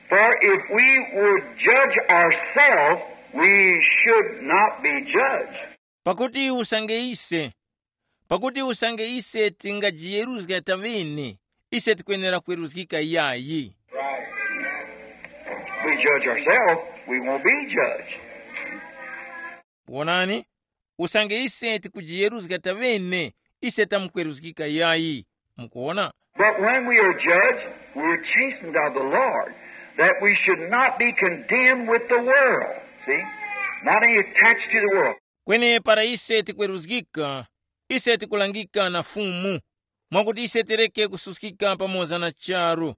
for if we would judge ourselves, we should not be judged. Pakuti usange ise Pakuti usange ise tingajiyeruzga taŵene, ise tikwenera kweruzgika yayi. We judge ourselves, we won't be judged. Wonani, usange ise tikujiyeruzga taŵene, ise tamkweruzgika yayi. Mukuona? But when we are judged, we are chastened of the Lord, that we should not be condemned with the world. See? Not any attached to the world. Kweni para ise tikweruzgika, ise tikulangika na Fumu, mwakuti ise tereke kususkika pamoza na charu.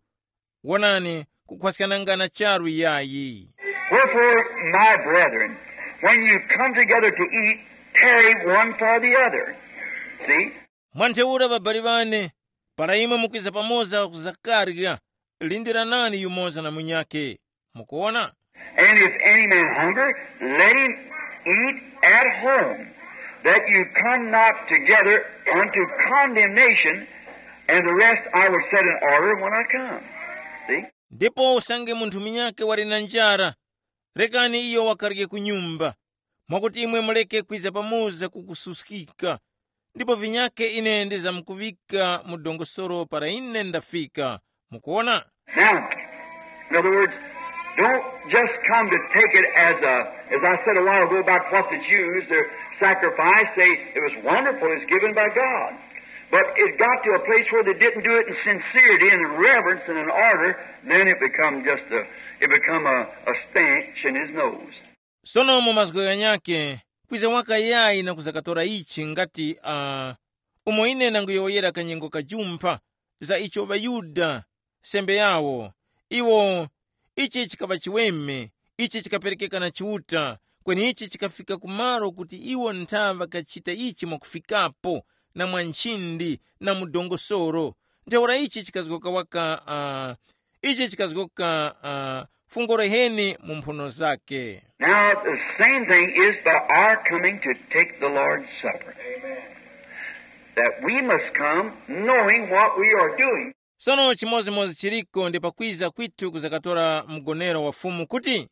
Wonani, kukhwaskana na charu yayi. Wherefore, my brethren, when you come together to eat, tarry one for the other. See? Mwa ntheura ŵabali ŵane, para imwe mukwiza pamoza kuzakarya, lindiranani yumoza na munyakhe. Mukuona? And if any man hunger, let him eat at home, that you come not together unto condemnation, and the rest I will set in order when I come. See? Ndipo usange munthu munyakhe wali na njara, rekani iyo wakarye ku nyumba, mwakuti imwe muleke kwiza pamoza kukususkika. Ndipo vinyakhe ine ndizamkuŵika mu dongosolo para ine ndafika. Mukuona? Now, in other words, don't just come to take it as a, as I said a while ago about what the Jews, their sacrifice, they, it was wonderful, it's given by God. But it got to a place where they didn't do it in sincerity and in reverence and in order, then it become just a, it become a, a stench in his nose. Sono mu mazgu ghanyakhe, kwiza waka yayi na kuzakatora ichi ngati uh, umo ine nanguyowoyera kanyengo kajumpha za icho ŵaYuda sembe yawo, iwo ichi chikaŵa chiweme, ichi chikaperekeka na Chiuta, kweni ichi chikafika kumalo kuti iwo nthaŵa kachita ichi mwakufikapo na mwa nchindi na mu dongosoro. Ntheura ichi chikazgoka waka uh, ichi chikazgoka uh, fungo reheni mu mphuno zake. Now, the same thing is by our coming to take the Lord's Supper. That we must come knowing what we are doing. Sono chimodzimodzi chiliko ndi pakwiza kwithu kuzakatora mgonero wa Fumu kuti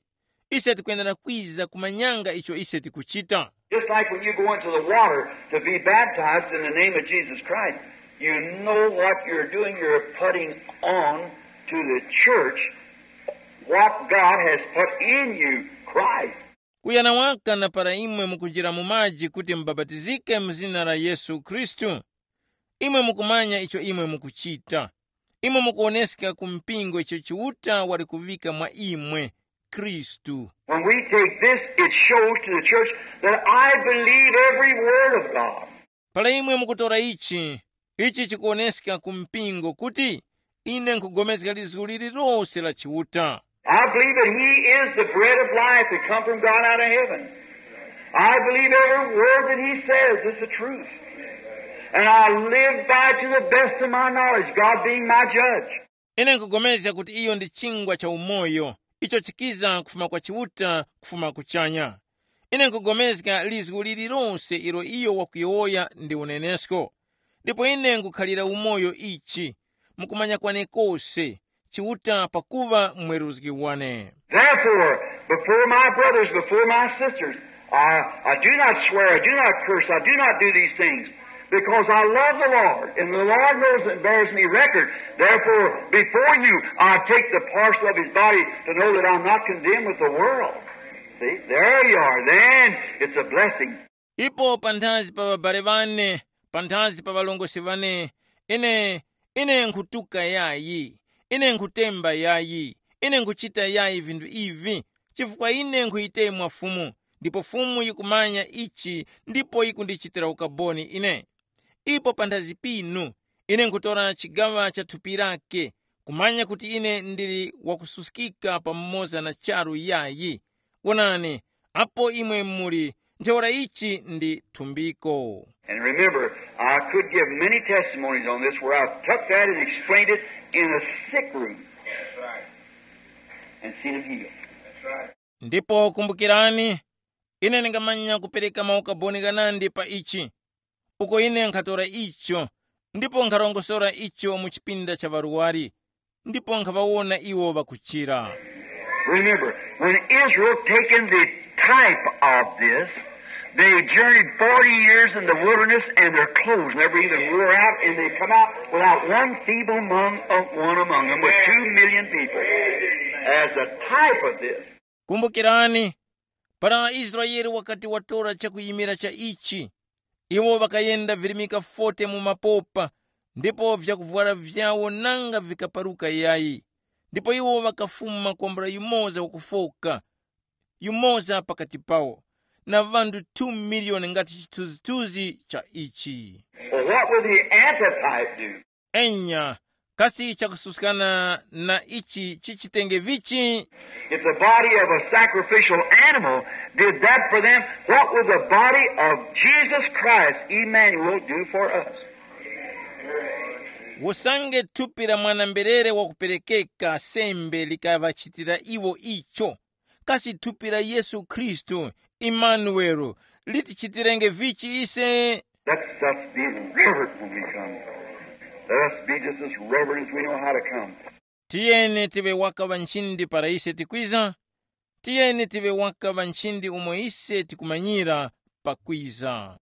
ise tikwenera kwiza kumanyanga icho ise tikuchita. Just like when you go into the water to be baptized in the name of Jesus Christ, you know what you're doing. You're putting on to the church what God has put in you, Christ. Kuyana waka na para imwe mukunjira mu maji kuti mubapatizike mu zina la Yesu Khristu, imwe mukumanya icho imwe mukuchita. Imwe mukuwoneska ku mpingo icho Chiuta wali kuŵika mwa imwe, Khristu. When we take this, it shows to the church that I believe every word of God. Para imwe mukutora ichi, ichi chikuwoneska ku mpingo kuti ine nkhupulikana lizgu lililose la Chiuta. I believe that He is the bread of life that come from God out of heaven. I believe every word that He says is the truth. And I live by it to the best of my knowledge, God being my judge. Ine nkugomezga kuti iyo ndi chingwa cha umoyo, icho chikiza kufuma kwa Chiuta, kufuma kuchanya. Ine nkugomezga lizgu lililose ilo iyo wakuyowoya ndi unenesko. Ndipo ine nkukhalira umoyo ichi, mukumanya kwane kose, Chiuta pakuŵa mweruzgi wane. Therefore, before my brothers, before my sisters, I, I do not swear, I do not curse, I do not do these things, because I love the Lord, and the Lord knows and bears me record. Therefore, before you, I take the parcel of His body to know that I'm not condemned with the world. See, there you are. Then it's a blessing. Ipo panthazi pa ŵabale ŵane, panthazi pa ŵalongosi ŵane, ine, ine nkhutuka yayi, ine nkhutemba yayi, ine nkhuchita yayi vinthu ivi, chifukwa ine nkhuyitemwa Fumu, ndipo Fumu yikumanya ichi ndipo yikundichitira ukaboni ine. Ipo panthazi pinu, ine nkhutora chigaŵa cha thupi lake, kumanya kuti ine ndili wakususkika pamoza na charu yayi. Wonani, apo imwe muli, ntheura ichi ndi thumbiko. And remember, I could give many testimonies on this where I've took that and explained it in a sick room and seen him healed. Ndipo kumbukirani, ine ndingamanya kupereka maukaboni ghanandi pa ichi, uko ine nkhatora icho ndipo nkharongosora icho mu chipinda cha ŵarwari, ndipo nkhaŵawona iwo ŵakuchira. Remember, when Israel taken the type of this, They journeyed forty years in the wilderness, and their clothes never even wore out, and they come out without one feeble among, uh, one among them, with two million people, as a type of this. Kumbukirani, para Israele wakati watora chakuyimira cha ichi, iwo ŵakayenda virimika forty mu mapopa, ndipo vyakuvwara vyawo nanga vikaparuka yayi. Ndipo iwo ŵakafuma kwambula yumoza wakufoka, yumoza pakati pawo, na ŵanthu two miliyoni ngati chithunzithunzi cha ichi. Well, what will the antitype do? Enya, kasi chakususkana na ichi chichitenge vichi? If the body of a sacrificial animal did that for them, what would the body of Jesus Christ, Emmanuel, do for us? Usange thupi la mwana-mberere wakuperekeka sembe likaŵachitira iwo icho, kasi thupi la Yesu Khristu, Imanuwelo, litichitirenge vichi ise? Let's us be reverent when we come. Let us be just as reverent as we know how to come. Tiyeni tive waka ŵanchindi para ise tikwiza. Tiyeni tive waka ŵanchindi umo ise tikumanyira pakwiza.